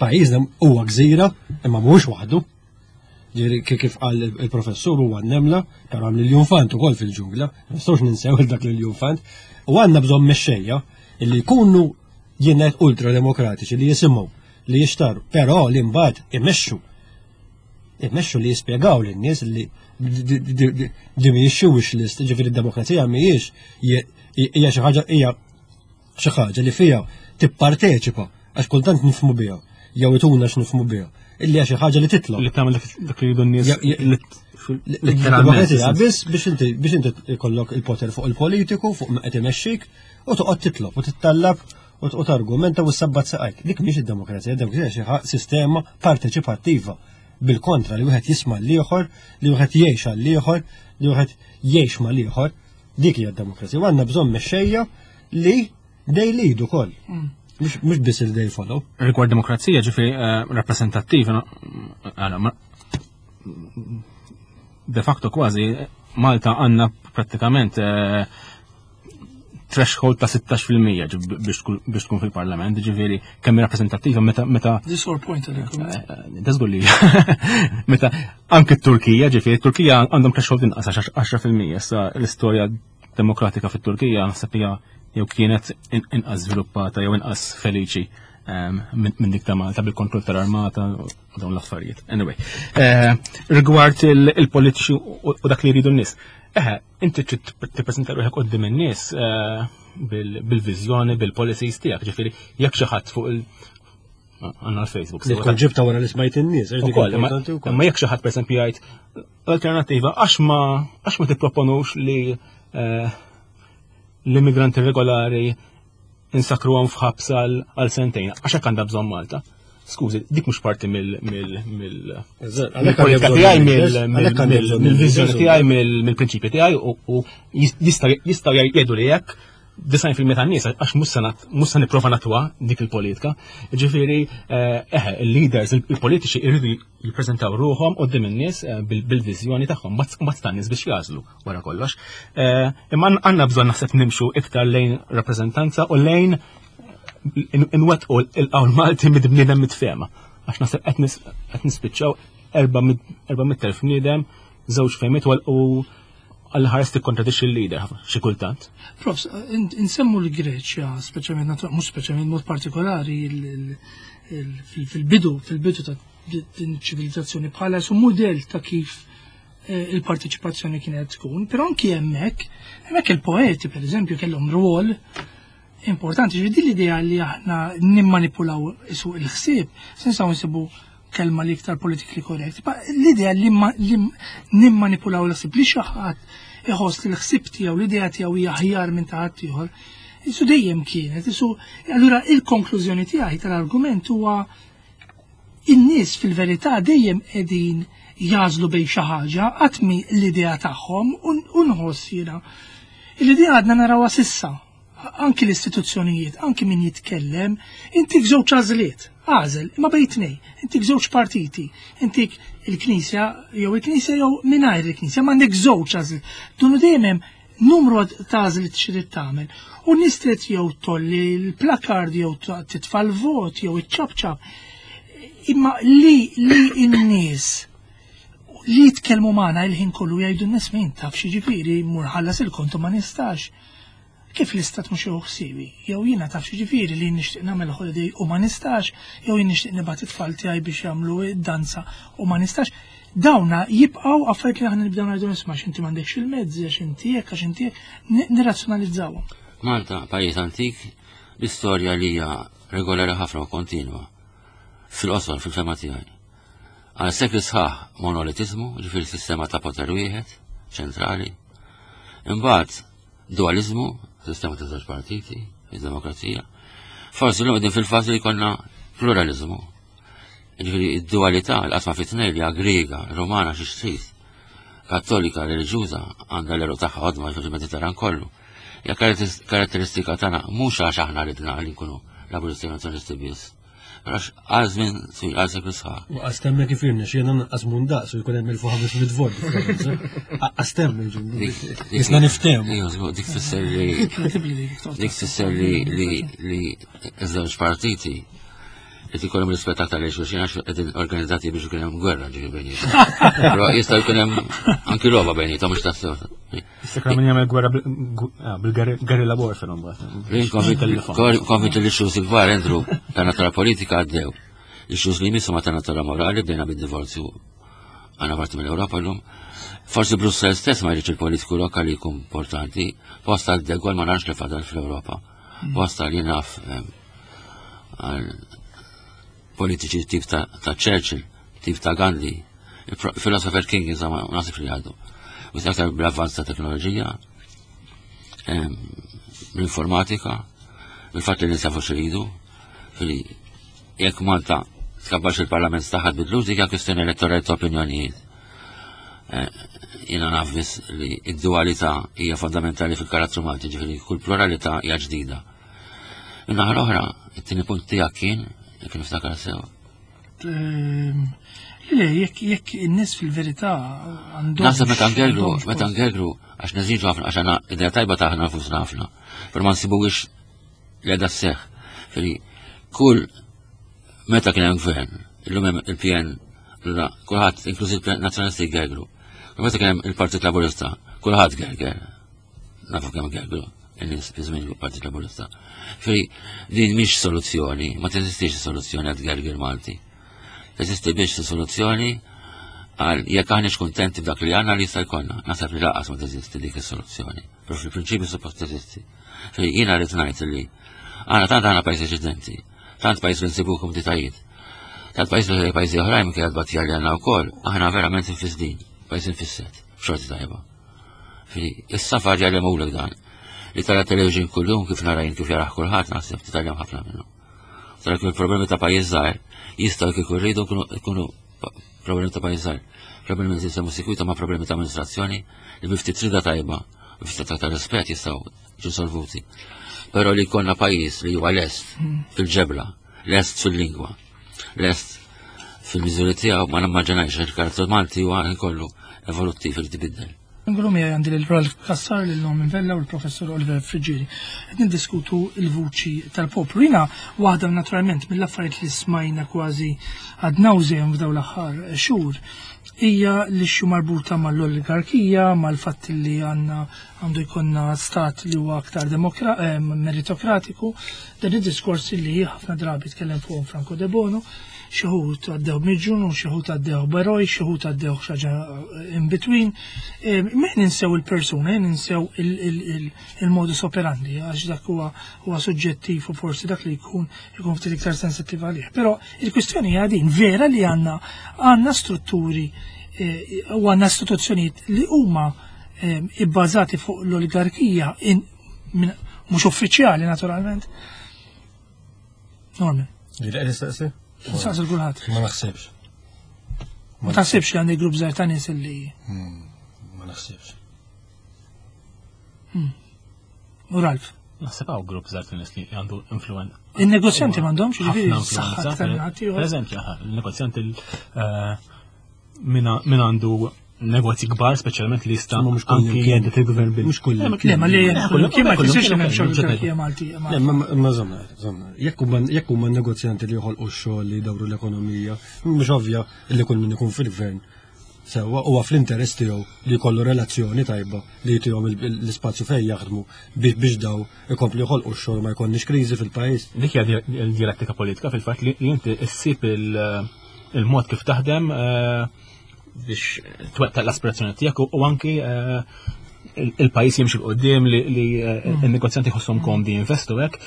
pajjiżna huwa gżira imma mhuwiex waħdu. Ġifieri kif qal il-professur huwa nemla, però hemm l-iljunfant ukoll fil-ġungla, ma nistgħux ninsew il dak l-iljunfant. U għandna bżonn mexxejja illi jkunu jien ultra demokratiċi li jisimgħu, li jixtaru, però li mbagħad imexxu. Imexxu li jispjegaw lin-nies li di mhijiex xi wish list, ġifieri d-demokrazija mhijiex hija xi ħaġa hija xi ħaġa li fiha tipparteċipa għax kultant nifhmu biha jew ituna x'nifhmu biha illi hija xi ħaġa li titlob. Li tagħmel dak li jridu n-nies letteralment. Biss biex inti biex inti jkollok il-poter fuq il-politiku, fuq ma qed imexxik u toqgħod titlob u tittallab u targumenta u sabbat saqajk. Dik mhix id-demokrazija, id-demokrazija xi sistema parteċipattiva bil-kontra li wieħed jisma' l-ieħor, li wieħed jgħix għall-ieħor, li wieħed jgħix mal-ieħor. Dik hija d-demokrazija. U għandna bżonn mexxejja li they lead ukoll. Mm. Mhux biss il they follow. Rigward demokrazija ġifieri eh, rappreżentattiva de facto kważi Malta għandna prattikament eh, threshold ta' 16% biex tkun fil-parlament, ġifieri kemm rappreżentattiva meta meta. This whole point għalik. Eh, eh, Dażgur li. Meta anke t-Turkija, ġifieri t-Turkija għandhom threshold inqas 10% issa l-istorja demokratika fit-Turkija naħseb hija jew kienet inqas żviluppata jew inqas feliċi ehm, minn dik ta' Malta bil-kontroll tal-armata u dawn l-affarijiet. Anyway, eh, rigward il-politiċi u dak li jridu n-nies. Eħe, inti trid tippreżenta ruħek qudiem in-nies eh, bil-viżjoni, bil-policies tiegħek, ġifieri jekk xi ħadd fuq il- għandna l-Facebook. Li tkun ġibta wara li smajt in-nies, imma jekk xi ħadd pereżempju jgħid l-alternattiva għax ma għax ma tipproponux li eh, l-immigranti regolari insakruhom f'ħabs għal sentejn, għax hekk għandha bżonn Malta. Skużi, dik mhux parti mill-politika tiegħi, mill-viżjoni tiegħi, mill-prinċipji tiegħi u jistgħu jgħidu li hekk 90% tan-nies għax mhux se nipprova natwa dik il-politika. Ġifieri, eh, eħe, il-leaders, il-politiċi jridu jippreżentaw ruħhom qudiem in-nies eh, bil-viżjoni tagħhom, mbagħad tan-nies biex jażlu wara kollox. Eh, imma għandna bżonn naħseb nimxu iktar lejn rappreżentanza u lejn inwettqu il-qawl Malti mid-bniedem mitfema. Għax naħseb qed nispiċċaw 400,000 bniedem, żewġ fehmiet u għal ħares tikkontradixxi l-leader xi kultant. Profs, insemmu l-Greċja, speċjalment mhux speċjalment mod partikolari fil-bidu, fil-bidu ta' din ċivilizzazzjoni bħala su mudell ta' kif eh, il-parteċipazzjoni kienet tkun, però anki hemmhekk, hemmhekk il-poeti pereżempju kellhom rwol importanti, ġifieri din l-idea li aħna nimmanipulaw isu il-ħsieb, se nistgħu nsibu kelma li iktar politically correct, l-idea li nimmanipulaw l-ħsieb li xi ħadd iħoss li l-ħsieb tiegħu, l-idea tiegħu hija aħjar minn ta' ħaddieħor. Isu dejjem kienet, isu allura il-konklużjoni tiegħi tal-argument huwa in-nies fil-verità dejjem qegħdin jagħżlu bejn xi ħaġa qatt mi l-idea tagħhom u nħoss jiena. L-idea għadna narawha sissa anki l-istituzzjonijiet, anki min jitkellem, intik żewġ għażliet, għażel, imma bejn tnej, intik żewġ partiti, intik il-Knisja jew il-Knisja jew mingħajr il-Knisja, ma għandek żewġ għażliet. Dunu dejjem hemm numru ta' għażliet xi trid tagħmel. U nies trid jew tolli l-plakard jew titfa' l-vot jew iċċabċab. Imma li li n-nies li jitkellmu magħna il-ħin kollu jgħidu n-nies min taf xi ġifieri mur ħallas il-kontu ma nistax. Kif l-istat mhux jieħu ħsiebi? Jew jiena taf x'jiġifieri li jien nixtieq nagħmel holiday u ma nistax, jew jien nixtieq nibgħat it-tfal tiegħi biex jagħmlu d-danza u ma nistax. Dawna jibqgħu affarijiet li aħna nibdew ngħidu nisma' għax inti m'għandekx il-mezzi, għax inti hekk, għax inti hekk, nirrazzjonalizzawhom. Malta, pajjiż antik, l-istorja li hija regolari ħafna u kontinwa. Fil-qosor, fil-fema tiegħi. Għal sekli sħaħ monolitiżmu, ġifieri sistema ta' poter wieħed, ċentrali. Imbagħad dualizmu, sistema ta' żewġ partiti, id-demokrazija. Forsi l-lum qegħdin fil-fażi li konna pluralizmu. Ġifieri id-dualità, l-qasma fit-tnejn li Griega, Romana xi trid, Kattolika, reliġjuża, għandha l-eruq tagħha għodma fil-Mediterran kollu. Hija karatteristika tagħna mhux għax aħna ridna li nkunu laburisti nazzjonalisti biss. Għax għal żmien twil, għal seklu sħaħ. U għas temmek kif irna, xiena naqqas mundaqs u jkun hemm il-500 vot. Għas temmek Isna niftem. Dik tfisser li dik tfisser li li iż-żewġ partiti qed ikollhom rispett aktar lejn xulxin għax qegħdin organizzati biex ikun hemm gwerra ġifi bejniethom. Però jista' jkun hemm anki logħba bejniethom mhux tassew. Issa min jagħmel gwerra ah, bil-guerrilla warfare mbagħad. Konvint li x-xus il-kbar Andrew ta' natura politika għaddew. Ix-xus li jmissu ma ta' natura morali bdejna bid-divorzju għana parti mill-Ewropa llum. Forsi Brussel stess ma jridx il-politiku lokali jkun importanti, posta għal De Gaulle ma nafx li fadal fl-Ewropa. Mm. Posta li naf għal politiċi tip ta' Churchill, tip ta' Gandhi, Philosopher King, insomma, nasib li għaddu. U aktar bl-avvanz ta' teknoloġija, l-informatika, bil-fatt li nisafu xiridu, fili jekk Malta tkabbax il-parlament staħad bidlu dik kwistjoni elettorali ta' opinjonijiet. Eh, jiena naf biss li id-dualità hija fondamentali fil-karattru Malti, ġifieri kull pluralità hija ġdida. Min-naħa l-oħra, it-tieni punt tiegħek kien, jekk niftakar sew. Ehm, le, jekk jekk in-nies fil-verità għandhom. Naħseb meta ngergru, meta ngergru, għax neżiġu ħafna, għax għandna idea tajba ta' aħna nfusna ħafna, però ma nsibuwix li għadha sseħħ. Fili, kull meta kien hemm gvern, illum hemm il-PN, kulħadd, inkluż il-Nazzjonalisti gergru. U meta kien hemm il-Partit Laburista, kulħadd gerger. Nafu kemm gergru in-nies fi żmien il-Partit Laburista. Fri, din mhix soluzzjoni, ma teżistix soluzzjoni għad gergir Malti. Teżisti biex soluzzjoni għal jekk aħniex kuntenti b'dak li għandna li jista' jkollna. Naħseb li laqas ma teżisti dik is-soluzzjoni. Però fil-prinċipju suppost teżisti. Fri, jiena rrid ngħid li għandna tant għandna pajjiż eċidenti, tant pajjiż li nsibu kumditajiet. Tant pajjiż li pajjiżi oħrajn minkejja tbatija li għandna wkoll, aħna verament infisdin, pajjiż infisset, xorti tajba. Is-safar jgħallimulek dan. Li tara television kuljum kif nara jien kif jaraħ kulħadd naħseb titgħallem ħafna minnu. Tara kif il-problemi ta' pajjiż żgħir jistgħu kieku rridu jkunu problemi ta' pajjiż żgħir. Problemi li jisemmu sikwita ma' problemi ta' amministrazzjoni li bi ftit rida tajba, bi ftit ta' rispett jistgħu jiġu solvuti. Però li jkollna pajjiż li huwa lest fil-ġebla, lest fil-lingwa, lest fil-miżuri tiegħu ma nimmaġinajx il-karattru Malti huwa kollu evoluttiv li tibiddel. Ngħidu miegħi għandi lil Ralph Cassar, lil Norman Vella u l-Professur Oliver Friggieri. Qed niddiskutu l-vuċi tal-poplu. Jiena waħda naturalment mill-affarijiet li smajna kważi ad nauseam f'dawn l-aħħar xhur hija l-issue marbuta mal-oligarkija, mal-fatt li għandna għandu jkollna stat li huwa aktar eh, meritokratiku, dan id-diskors li ħafna drabi tkellem fuqhom Franco De Bono, xi wħud għaddew miġun u xi wħud għaddew beroj, xi wħud għaddew xaġa eh, in between. Eh, Me ninsew il-persuna, ninsew il-modus operandi, għax dak huwa huwa suġġettiv u forsi dak li jkun ikun ftit iktar sensittiv għalih. Però il-kwistjoni hija din vera li għandna għandna strutturi eh, u għandna istituzzjonijiet li huma ibbażati fuq l-oligarkija mhux uffiċjali naturalment. Norman. Li qed nistaqsi? Nistaqsi kulħadd. Ma naħsibx. Ma taħsibx li għandi grupp żgħir ta' nies li. Hmm, ma naħsibx. Hmm. U Ralf. Naħseb hawn grupp żgħar ta' nies li għandu influenza. In-negozjanti m'għandhomx jiġifieri saħħa aktar minn ħadd ieħor. Pereżempju, il-negozjanti eh, min għandu negozji kbar, speċjalment li jista' anki jeddet il-gvern bil. Mhux kull. Le, ma li kien ma jfissirx li m'hemmx oligarkija Malti. Le, ma żomma, żomma. Jekk huma negozjanti li joħolqu x-xogħol li jdawru l-ekonomija, mhux ovvja li kull min ikun fil-gvern sewwa huwa fl-interess tiegħu li jkollu relazzjoni tajba li jtihom l-ispazju fejn jaħdmu biex daw ikomplu joħolqu x-xogħol ma jkollniex kriżi fil-pajjiż. Dik hija l-dialettika politika fil-fatt li inti ssib il-mod kif taħdem eh, biex twettaq l-aspirazzjoni tiegħek u anki eh, il-pajjiż jimxi l-qoddim li eh, mm. il-negozjanti jħosshom komdi jinvestu hekk,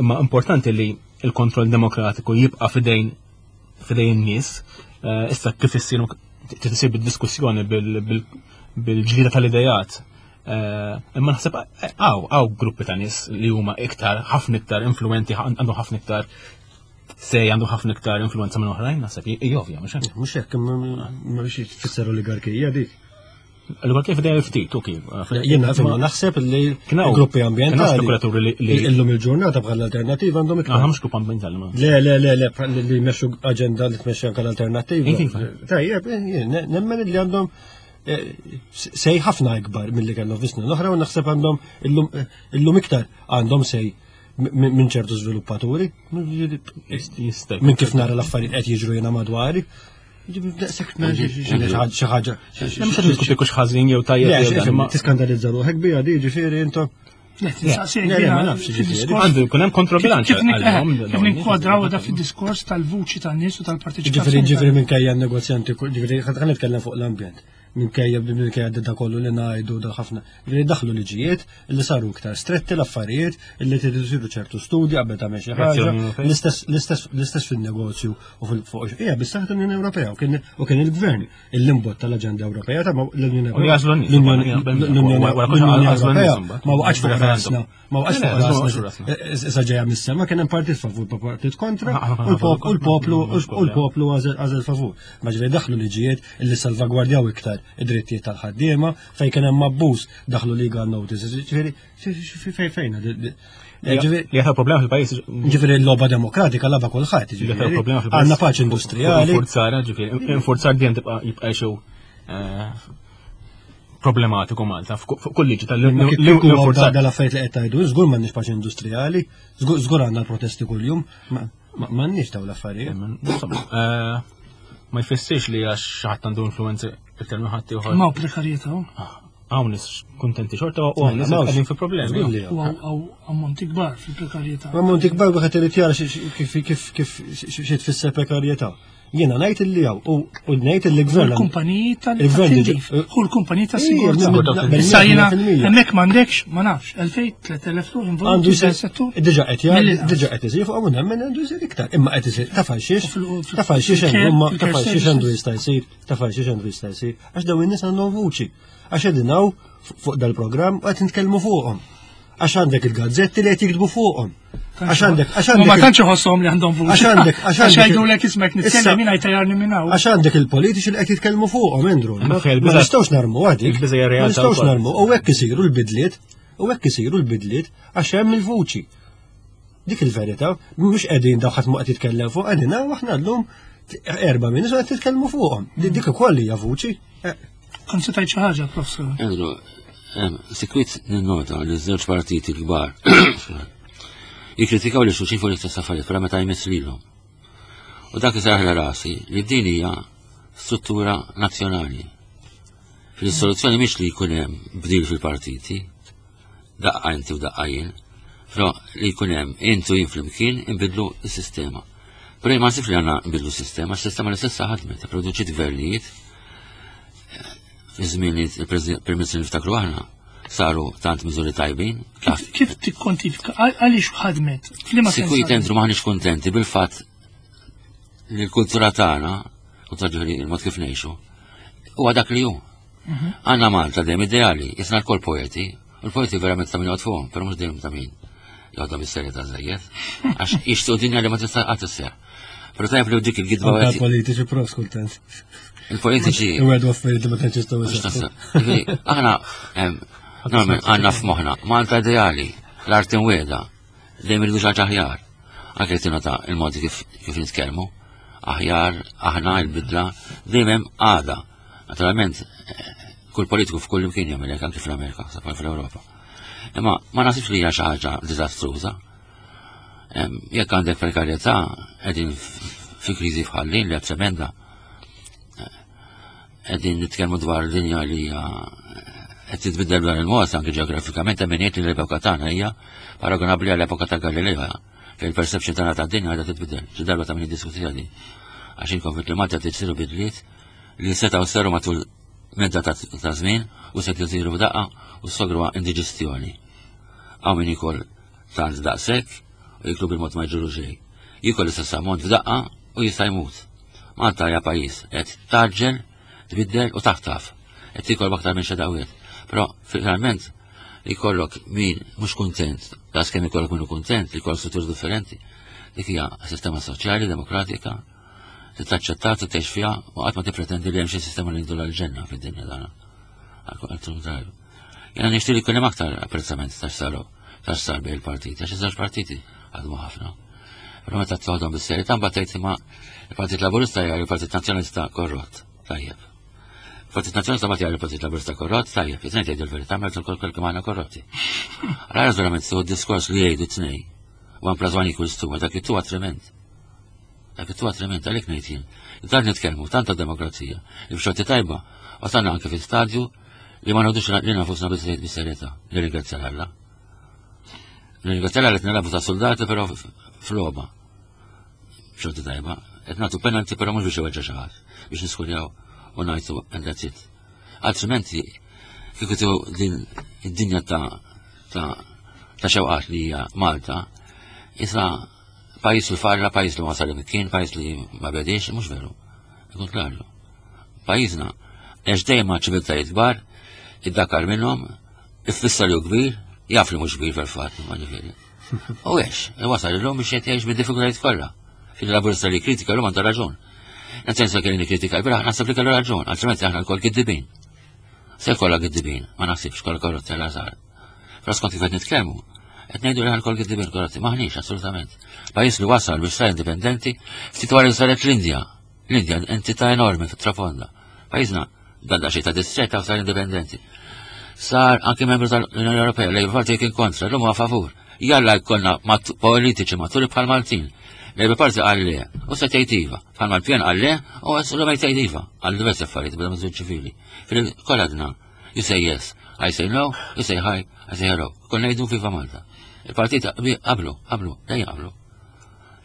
imma importanti li il-kontroll demokratiku jibqa' fidejn fidejn in-nies. Eh, issa kif issir tisir bid-diskussjoni bil-ġlida tal-idejat. Eh, imma naħseb eh, għaw, għaw gruppi ta' nies li huma iktar, ħafna iktar influenti, għandhom ħafna iktar sej għandu ħafna iktar influenza minn oħrajn, naħseb, ovvja, mhux hekk. Mhux hekk, ma biex tfisser oligarkija dik. Allura kif dejjem ftit u kif? Jien naf imma naħseb li gruppi ambjentali. Spekulaturi li illum il-ġurnata bħal alternativa għandhom iktar. Mhux grupp ambjentali. Le le le le li jmexxu aġenda li tmexxi anke l-alternattiva. Tajjeb, nemmen li għandhom eh, sej ħafna ikbar milli kellhom fis-snin l-oħra u naħseb għandhom illum iktar għandhom sej minn ċertu żviluppaturi. Minn kif nara l-affarijiet qed jiġru jiena madwari. Xi ħaġa. Mhux qed niskuti kux ħażin jew tajjeb. Ma tiskandalizza ruħek bija di ġifieri intom. Għandu jkun hemm kontrobilanċ. Kif ninkwadraw da fid-diskors tal-vuċi tan-nies u tal-partiċipazzjoni. Ġifieri ġifieri minkejja n-negozjanti, ġifieri ħa nitkellem fuq l-ambjent. Minkejja minkejja da kollu li ngħidu da ħafna. Li daħlu liġijiet li saru iktar stretti l-affarijiet li tridu isiru ċertu studji qabel tagħmel xi ħaġa. L-istess fin-negozju u fuq hija bis-saħħa tal-Unjoni Ewropea u kien il-gvern il-limbot tal-Aġenda Ewropea ta' l-Unjoni Ewropea. L-Unjoni Ewropea ma waqgħetx fuq rasna Ma waqax fuq rasna. Issa ġejja mis-sema kien hemm partit favur pa partit kontra u l-poplu u l-poplu għażel favur. Ma ġifieri daħlu liġijiet li salvagwardjaw iktar id-drittijiet tal-ħaddiema fejn kien hemm abbuż daħlu legal notices. Ġifieri fejn fejn Li għatha problema fil-pajis. Ġifieri l-logħba demokratika laba kulħadd. Għandna paċi industrijali. Infurzar, ġifieri, infurzar dejjem tibqa' jibqa' xew eh, problematiku Malta fuq kull liġi tal-infurzar. Dal-affarijiet li qed tgħidu, żgur m'għandniex paċi industrijali, żgur għandna l-protesti kuljum, m'għandniex dawn l-affarijiet. Insomma, eh, ma jfissirx li għax ħadd għandu influenza iktar minn ħadd ieħor. Ma prekarjetà. Ah, hawn nies kuntenti xorta u hawn nies qegħdin fi problemi. U hawn ammonti kbar fil-prekarjetà. Ammonti kbar wieħed irid jara kif kif kif xi tfisser prekarjetà. Jiena ngħid illi hawn u ngħid illi gvern. Il-kumpaniji tal-tindif. U l-kumpaniji tas-sigurtà. Issa jiena hemmhekk m'għandekx, ma nafx, 2000, 3000 ruħ involuti fis-settur. Diġà qed jgħid, diġà qed isir fuq hawn nemmen għandu jsir iktar. Imma qed isir taf għal xiex, taf għal xiex għandu, taf għal xiex għandu jista' jsir, taf għal xiex għandu jista' jsir, għax dawn in-nies għandhom vuċi. Għax qegħdin hawn fuq dal-programm u qed nitkellmu fuqhom. Għax għandek il-gazzetti li qed jiktbu fuqhom. Għax għandek, għax għandek. Ma tantx iħosshom li għandhom vuċi. Għax għandek, għax għandek. Għax ismek nitkellem jien jtajarni minn hawn. Għax għandek il-politiċi li qed jitkellmu fuqhom, Andrew. Ma nistgħux narmu għadik. Ma nistgħux narmu. U hekk isiru l-bidliet, u hekk isiru l-bidliet għax hemm il-vuċi. Dik il-verità, mhux qegħdin daw ħadd ma qed jitkellem fuq, qegħdin hawn aħna llum erba' minn qed titkellmu fuqhom. Dik ukoll hija vuċi. Eh. Kont se tgħid xi ħaġa, professor. Andrew, sikwit ninnota li żewġ partiti kbar jikkritikaw li xulxin fuq l-istess affarijiet, però meta jmiss lilhom. U dak isarħla rasi li din hija struttura nazzjonali. Fil-soluzzjoni mhix li jkun hemm bdil fil-partiti, daqqa inti u daqqa jien, però li jkun hemm inti u jien flimkien inbidlu s-sistema. Però jien ma nsibx li għandna nbidlu s-sistema, s-sistema li s'issa ħadmet, produċiet gvernijiet fi żmien li il-Prim Ministru niftakru aħna saru tant miżuri tajbin. Kif tikkontifika għaliex ħadmet? Sikwit entru maħniex kuntenti bil-fatt li l-kultura tagħna, u ta' ġifieri il-mod kif ngħixu, huwa dak li hu. Għandna Malta dejjem ideali, jisna l-kol poeti, u l-poeti verament ta' min joqgħod fuqhom, però mhux dejjem ta' min joqgħodhom bis-serjetà żejjed. Għax jixtiequ dinja li ma tista' qatt isseħħ. Però tajjeb li dik il-gidba Anka politiċi prof kultant. Il-politiċi. Iwegħdu affarijiet li ma tantx jistgħu jseħħu. Aħna Norman għandna f'moħħna Malta ideali, l-art imwiegħda, dejjem irridu xi ħaġa aħjar. Anke tingħata il-modi kif kif nitkellmu, aħjar, aħna il-bidla, dejjem hemm għada. Naturalment, kull politiku f'kull imkien jagħmel hekk anke fl-Amerika, sa fl-Ewropa. Imma ma nasibx li hija xi ħaġa diżastruża. Jekk għandek prekarjetà qegħdin fi kriżi bħal din li qed tremenda. Qegħdin nitkellmu dwar dinja li hija qed titbiddel b'dan il-mod anke ġeografikament hemm min jgħid li l-epoka tagħna hija paragonabbli għall-epoka ta' Galileo fejn il-perception tagħna tad-dinja qiegħda titbiddel. Xi darba ta' min jiddiskutiha din. Għax jien konvint li Malta trid isiru bidliet li setgħu saru matul medda ta' żmien u se jsiru f'daqqa u s-sogru indiġestjoni. Hawn min jikol tant daqshekk u jiklu bil-mod ma jġuru xejn. Jikol l-istess ammont f'daqqa u jista' jmut. Malta hija pajjiż qed taġġel, tbiddel u taħtaf. Qed tikol b'aktar minn xi daqwiet. Però finalment jkollok min mhux kuntent, daqs kemm ikollok min hu kuntent, li jkollok strutturi differenti. Dik hija sistema soċjali, demokratika, li taċċetta, tgħix fiha u qatt ma tippretendi li hemm xi sistema li jiddu l-ġenna fid-dinja tagħna. Għal-kontrarju. Jena nixtieq li jkun hemm aktar apprezzament ta' saru ta' sar bejn il-partiti, għax iż-żewġ partiti għadmu ħafna. Però meta toħdom bis-serjetà mbagħad tgħid imma il-Partit Laburista jgħid il-Partit Nazzjonalista korrott. Tajjeb. Il-Partit Nazzjonalista mbagħad jgħid il-Partit Laburista korrott, tajjeb. It-tnejn tgħidu l-verità mela kol kol kemm aħna korrotti. Allora verament su diskors li jgħidu t-tnejn. One plus one equals two, dak it-two trement. Dak it-tuwa trement għalhekk ngħid jien. Tant nitkellmu tant ta' demokrazija li b'xorti tajba wasalna anke fi stadju li ma nħodux li nafusna biżejjed bis-serjetà. Nirringrazzja Alla. Nirringrazzja Alla li qed nilagħbu ta' soldati però f'logħba. B'xorti tajba. Qed nagħtu penalti però mhux biex iweġġa' xi ħadd, biex niskurjaw u ngħidu and that's it. Altrimenti kieku din id-dinja ta' ta' ta' xewqat li hija Malta, issa Pajjiż li farra, pajjiż li ma wasal imkien, pajjiż li ma bediex, mhux veru. Il-kontrarju. Pajjiżna għex dejjem ma' ċiviltajiet kbar, iddakar minnhom, iffissa li hu kbir, jaf li mhux kbir fil-fatt, ma ġifieri. U għex, wasal illum biex qed jgħix bid-diffikultajiet kollha. Fil-laburista li kritika l-lum għandu raġun. Nsensa kelli kritika l-biraħ naħseb li kellu raġun, altrimenti aħna l-kol kiddibin. Se kollha giddibin, ma naħsibx kollha korrotti għal għażar. Però skont kif qed nitkellmu, qed ngħidu li ħalkol giddibin korrotti, maħniex assolutament. Pajjiż li wasal biex sar indipendenti ftit wara li saret l-Indja. L-Indja entità enormi fit-trafonda. Pajjiżna dan xi ta' distretta sar indipendenti. Sar anki membru tal-Unjoni Ewropea, Labour Party kien kontra, l-huma favur. Jalla jkollna politiċi maturi bħal Maltin. Labour Party qal le, u se tgħid iva. Bħal mal-pjan qal le, u l jgħid iva. Għal diversi affarijiet, bla miżur ċivili. Fil-koladna, You say yes, I say no, you say hi, I say hello. Konna jgħidu Viva Malta. Il-partit qablu, qablu, dejjem qablu.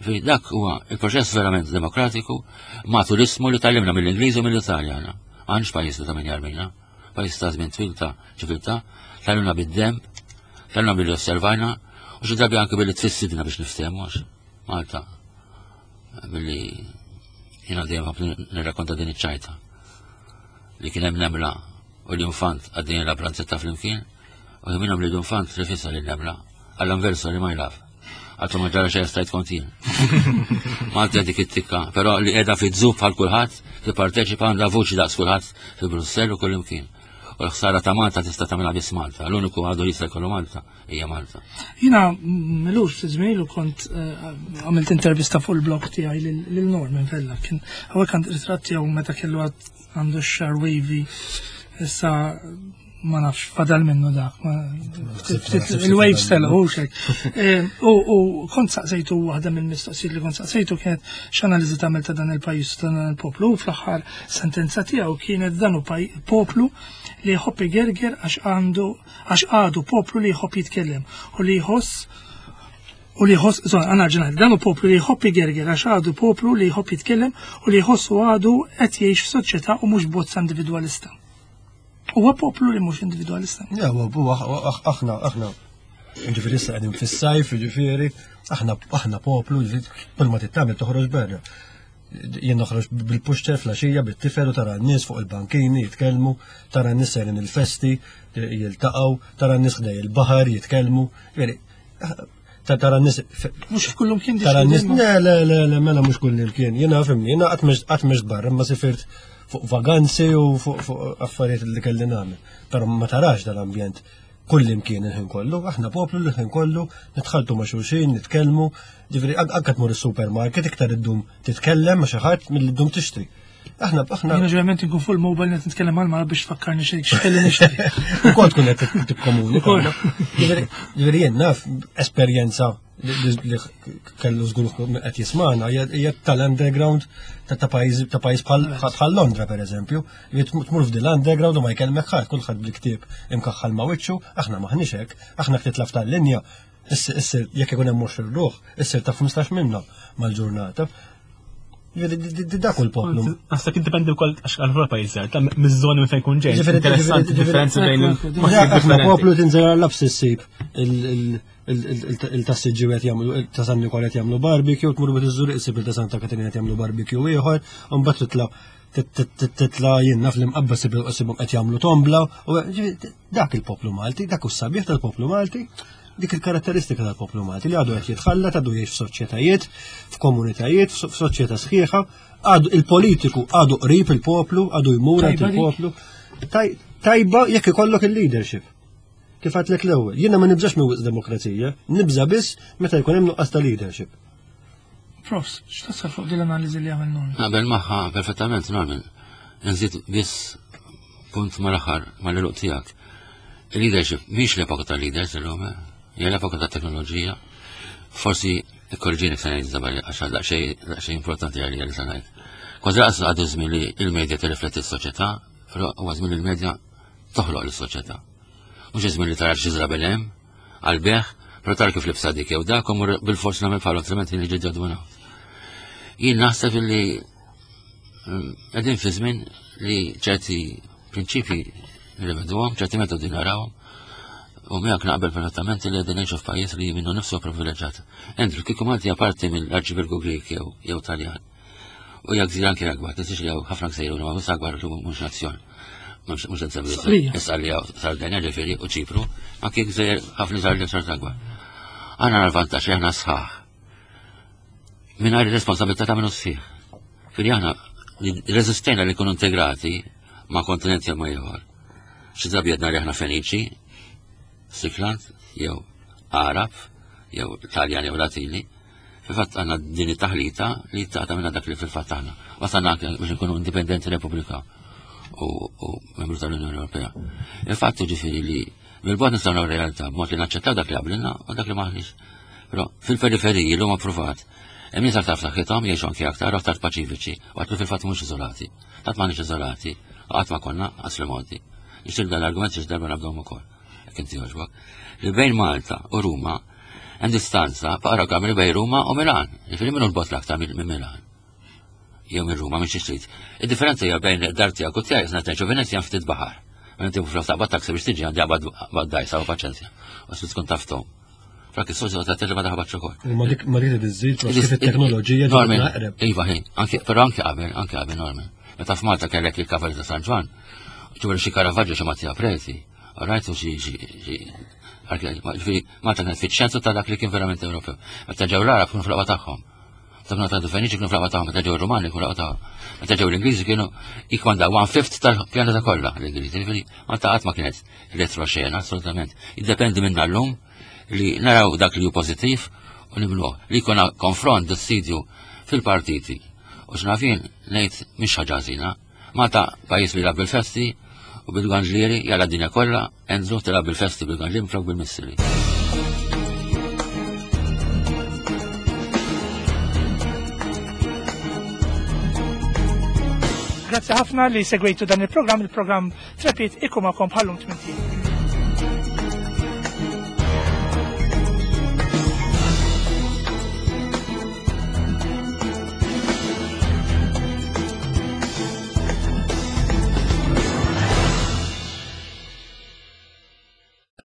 Fi dak huwa il-proċess verament demokratiku ma' turismu li tallimna mill-Ingliż u mill-Italja. Għandx pajjiż ta' min jarmina, pajjiż ta' żmien twil ta' ċiviltà, tallimna bid-demb, tallimna billi osservajna, u xi drabi anke billi tfissidna biex niftehmu għax Malta billi jiena dejjem ħafna nirrakkonta din iċ-ċajta li kien hemm nemla u l-infant għaddejjin la pranzetta flimkien u minnhom li l-infant rifissa lil nemla għallhom verso li ma jlaf. Għattu ma ġara xejn stajt kont jien. Malta dik it-tikka, però li qiegħda fi żub bħal kulħadd, tipparteċipa għandha vuċi daqs kulħadd fi Brussell u kull imkien. U l-ħsara ta' Malta tista' tagħmilha biss Malta. L-uniku għadu jista' jkollu Malta hija Malta. Jina milux fi żmien kont eh, għamilt intervista fuq il-blog tiegħi lil Norman Vella. Kien hawnhekk għand ritratt tiegħu meta kellu għandu x-xar wavy issa ma nafx fadal minnu dak. Il-waves telqu xek. Eh, u kont saqsejtu waħda mill-mistoqsijiet li kont saqsejtu kienet x'analiżi tagħmel ta' dan il-pajjiż ta' dan il-poplu u fl-aħħar sentenza tiegħu kienet dan hu poplu li jħobb igerger għax għandu għax għadu poplu li jħobb jitkellem u li jħoss u li jħoss, zon, għana ġenħed, dan hu poplu li jħobb igerger għax għadu poplu li jħobb jitkellem u li jħossu għadu qed jgħix f'soċjetà u mhux bozza individwalista. Huwa poplu li mhux individwalista. Ja, huwa aħna aħna ġifieri issa qegħdin fis-sajf, ġifieri aħna aħna poplu, ġifieri kull ma tittamel toħroġ barra. Jien noħroġ bil-pushchair flaxija bit-tifel u tara n-nies fuq il-bankini jitkellmu, tara n-nies sejrin il-festi jiltaqgħu, tara n-nies ħdej il-baħar jitkellmu. Tara n-nies. Mhux kullum kien Tara n-nies. Le, le, le, le, mela mhux kullum kien. Jiena fimni, jiena qatt mhux barra, ma sifirt fuq vaganzi u fuq affarijiet li kelli nagħmel. Però ma tarax dal-ambjent kullimkien il-ħin kollu, aħna poplu li l-ħin kollu nitħaltu ma' xulxin, nitkellmu, ġifieri anke tmur is-supermarket iktar iddum titkellem ma' xi ħadd milli ddum tixtri. Aħna aħna. Jiena ġeneralment inkun fuq il-mobile qed nitkellem mal mara biex tfakkarni xejn x'kelli nixtri. Ukoll tkun qed tikkomunika. Ġifieri jien naf esperjenza li kellu żgur qed jismana hija tal-underground ta' pajjiż ta' pajjiż bħal Londra pereżempju, li tmur f'dil underground u ma jkellmek ħadd kulħadd bil-ktieb imkaħħal ma' wiċċu, aħna maħniex hekk, aħna titlaf tal-linja, issir jekk ikun hemm 20 ruħ, issir ta' 15 minna mal-ġurnata. Dak u l-poplu. Naħseb jiddependi wkoll għax għal pajjiż żgħar, ta' miż-żoni minn fejn kun ġej. Interessanti differenzi bejn il poplu tinżel għall-labs issib il-tassiġġi qed jagħmlu ta' San Nikola qed jagħmlu barbecue, tmur bit iżżur issib il ta' Santa Katerina qed jagħmlu barbecue ieħor, u mbagħad titla' titla' jien naf li mqabba sibhom qed jagħmlu tombla, u dak il-poplu Malti, dak hu sabiħ tal-poplu Malti, dik il-karatteristika tal-poplu Malti li għadu qed jitħallat, għadu jgħix f'soċjetajiet, f'komunitajiet, f'soċjetà sħiħa, għadu il-politiku għadu qrib il-poplu, għadu jmur il-poplu. Tajba jekk ikollok il-leadership. Kif għatlek l-ewwel, jiena ma nibżax minn wisq demokrazija, nibża biss meta jkun hemm nuqqas ta' leadership. Profs, x'tasal fuq din l-analiżi li għamel Norman? Naqbel magħha perfettament Norman. Nżid biss punt mal-aħħar mal-eluq tiegħek. Il-leadership mhix l-epoka tal-leaders illum, eh? hija l-epoka tat-teknoloġija. Forsi ikkorġini se ngħid żabal għax daqsxejn importanti għalija li se ngħid. Kważi laqas għadu żmien li il-medja tirrifletti s-soċjetà, però huwa żmien li l-medja toħloq lis-soċjetà. Mhux iż-żmien li tara xi żrabel hemm għall-beħ, però tara kif libsa dik jew dak u bil-fors nagħmel bħalhom altrimenti niġi ġadwina. Jien naħseb illi mm, qegħdin fi żmien li ċerti prinċipji nirriveduhom, ċerti metodi narawhom, u miegħek naqbel perfettament li qegħdin ngħixu f'pajjiż li minnu nifsu privileġġat. Andrew, kieku Malti parti mill-Arċipelgu Grek jew Taljan. U hija gżira anke akbar, tinsiex li hawn ħafna gżejjer huma mhux akbar li mhux nazzjon. Mhux qed nsemmi issa li hawn Sardenja ġifieri u Ċipru, anke gżejjer ħafna iżgħar li xorta akbar. Aħna l-vantaġġ li aħna sħaħ. Mingħajr ir-responsabilità ta' minnu sħiħ. Fili aħna reżistejna li nkunu integrati ma' kontinent jew ma' ieħor. Xi drabi għedna li aħna Feniċi, Sikland, jew Arab, jew Taljan jew Latini, Fil-fatt għandna din it-taħlita li taqta' minna dak li fil-fatt aħna. Wasalna anke biex nkunu indipendenti Repubblika u membru tal-Unjoni Ewropea. Il-fatt ġifieri li mill-bogħod nistgħu naraw realtà b'mod li naċċettaw dak li qablilna u dak li maħniex. Però fil-periferiji l huma pruvat hemm nies aktar f'saħħithom jgħixu anke aktar aktar paċifiċi, waqt li fil-fatt mhux iżolati. Tant m'aħniex iżolati, qatt ma konna qas remoti. Nixtieq dan l-argument xi darba nabdhom ukoll. Jekk inti jogħġbok. Li bejn Malta u Ruma Hemm distanza faqra kamri bejn Ruma u Milan. Jiġifieri minnu l-bot l-aktar minn Milan. Jew minn Ruma minn xi trid. Id-differenza hija bejn dar tiegħek u tiegħi sna tgħixu Venezja ftit baħar. Mela inti flok taqbad taxi biex tiġi għandi qabad dajsa u paċenzja. U se tkun taftom. Frak is-soċjetà ta' telli ma taħbatx ukoll. Ma dik ma dik iżżid kif it-teknoloġija ġiet Iva ħin, anke però anke qabel, anke qabel Norman. Meta f'Malta kellek il-Kavalli ta' San Ġwann, ġifieri xi Caravaggio xi Mattia Preti, Rajtu xi xi ġifieri Malta kienet fiċ-ċentru ta' dak li kien verament Ewropew. Meta ġew l-Arab kienu fl-aqwa tagħhom. Meta kienu ta' Feniċi kienu fl-aqwa tagħhom, meta ġew ir-Rumani kienu fl-aqwa tagħhom. Meta ġew l-Ingliżi kienu jikmandaw one fifth tal-pjaneta kollha l-Ingliżi. Ġifieri Malta qatt ma kienet retroxena assolutament. Jiddependi minna llum li naraw dak li hu pożittiv u nibnuh. Li jkun konfront dissidju fil-partiti. U x'nafin ngħid mhix ħaġa ħażina. Malta pajjiż li jilgħab bil-festi u bil-ganġlieri jalla d-dinja kollha, Enzo tilgħab bil-festi bil-ganġlieri minflok bil-missili. Grazzi ħafna li segwejtu dan il-programm, il-programm Trepit ikum għakom bħallum tminti.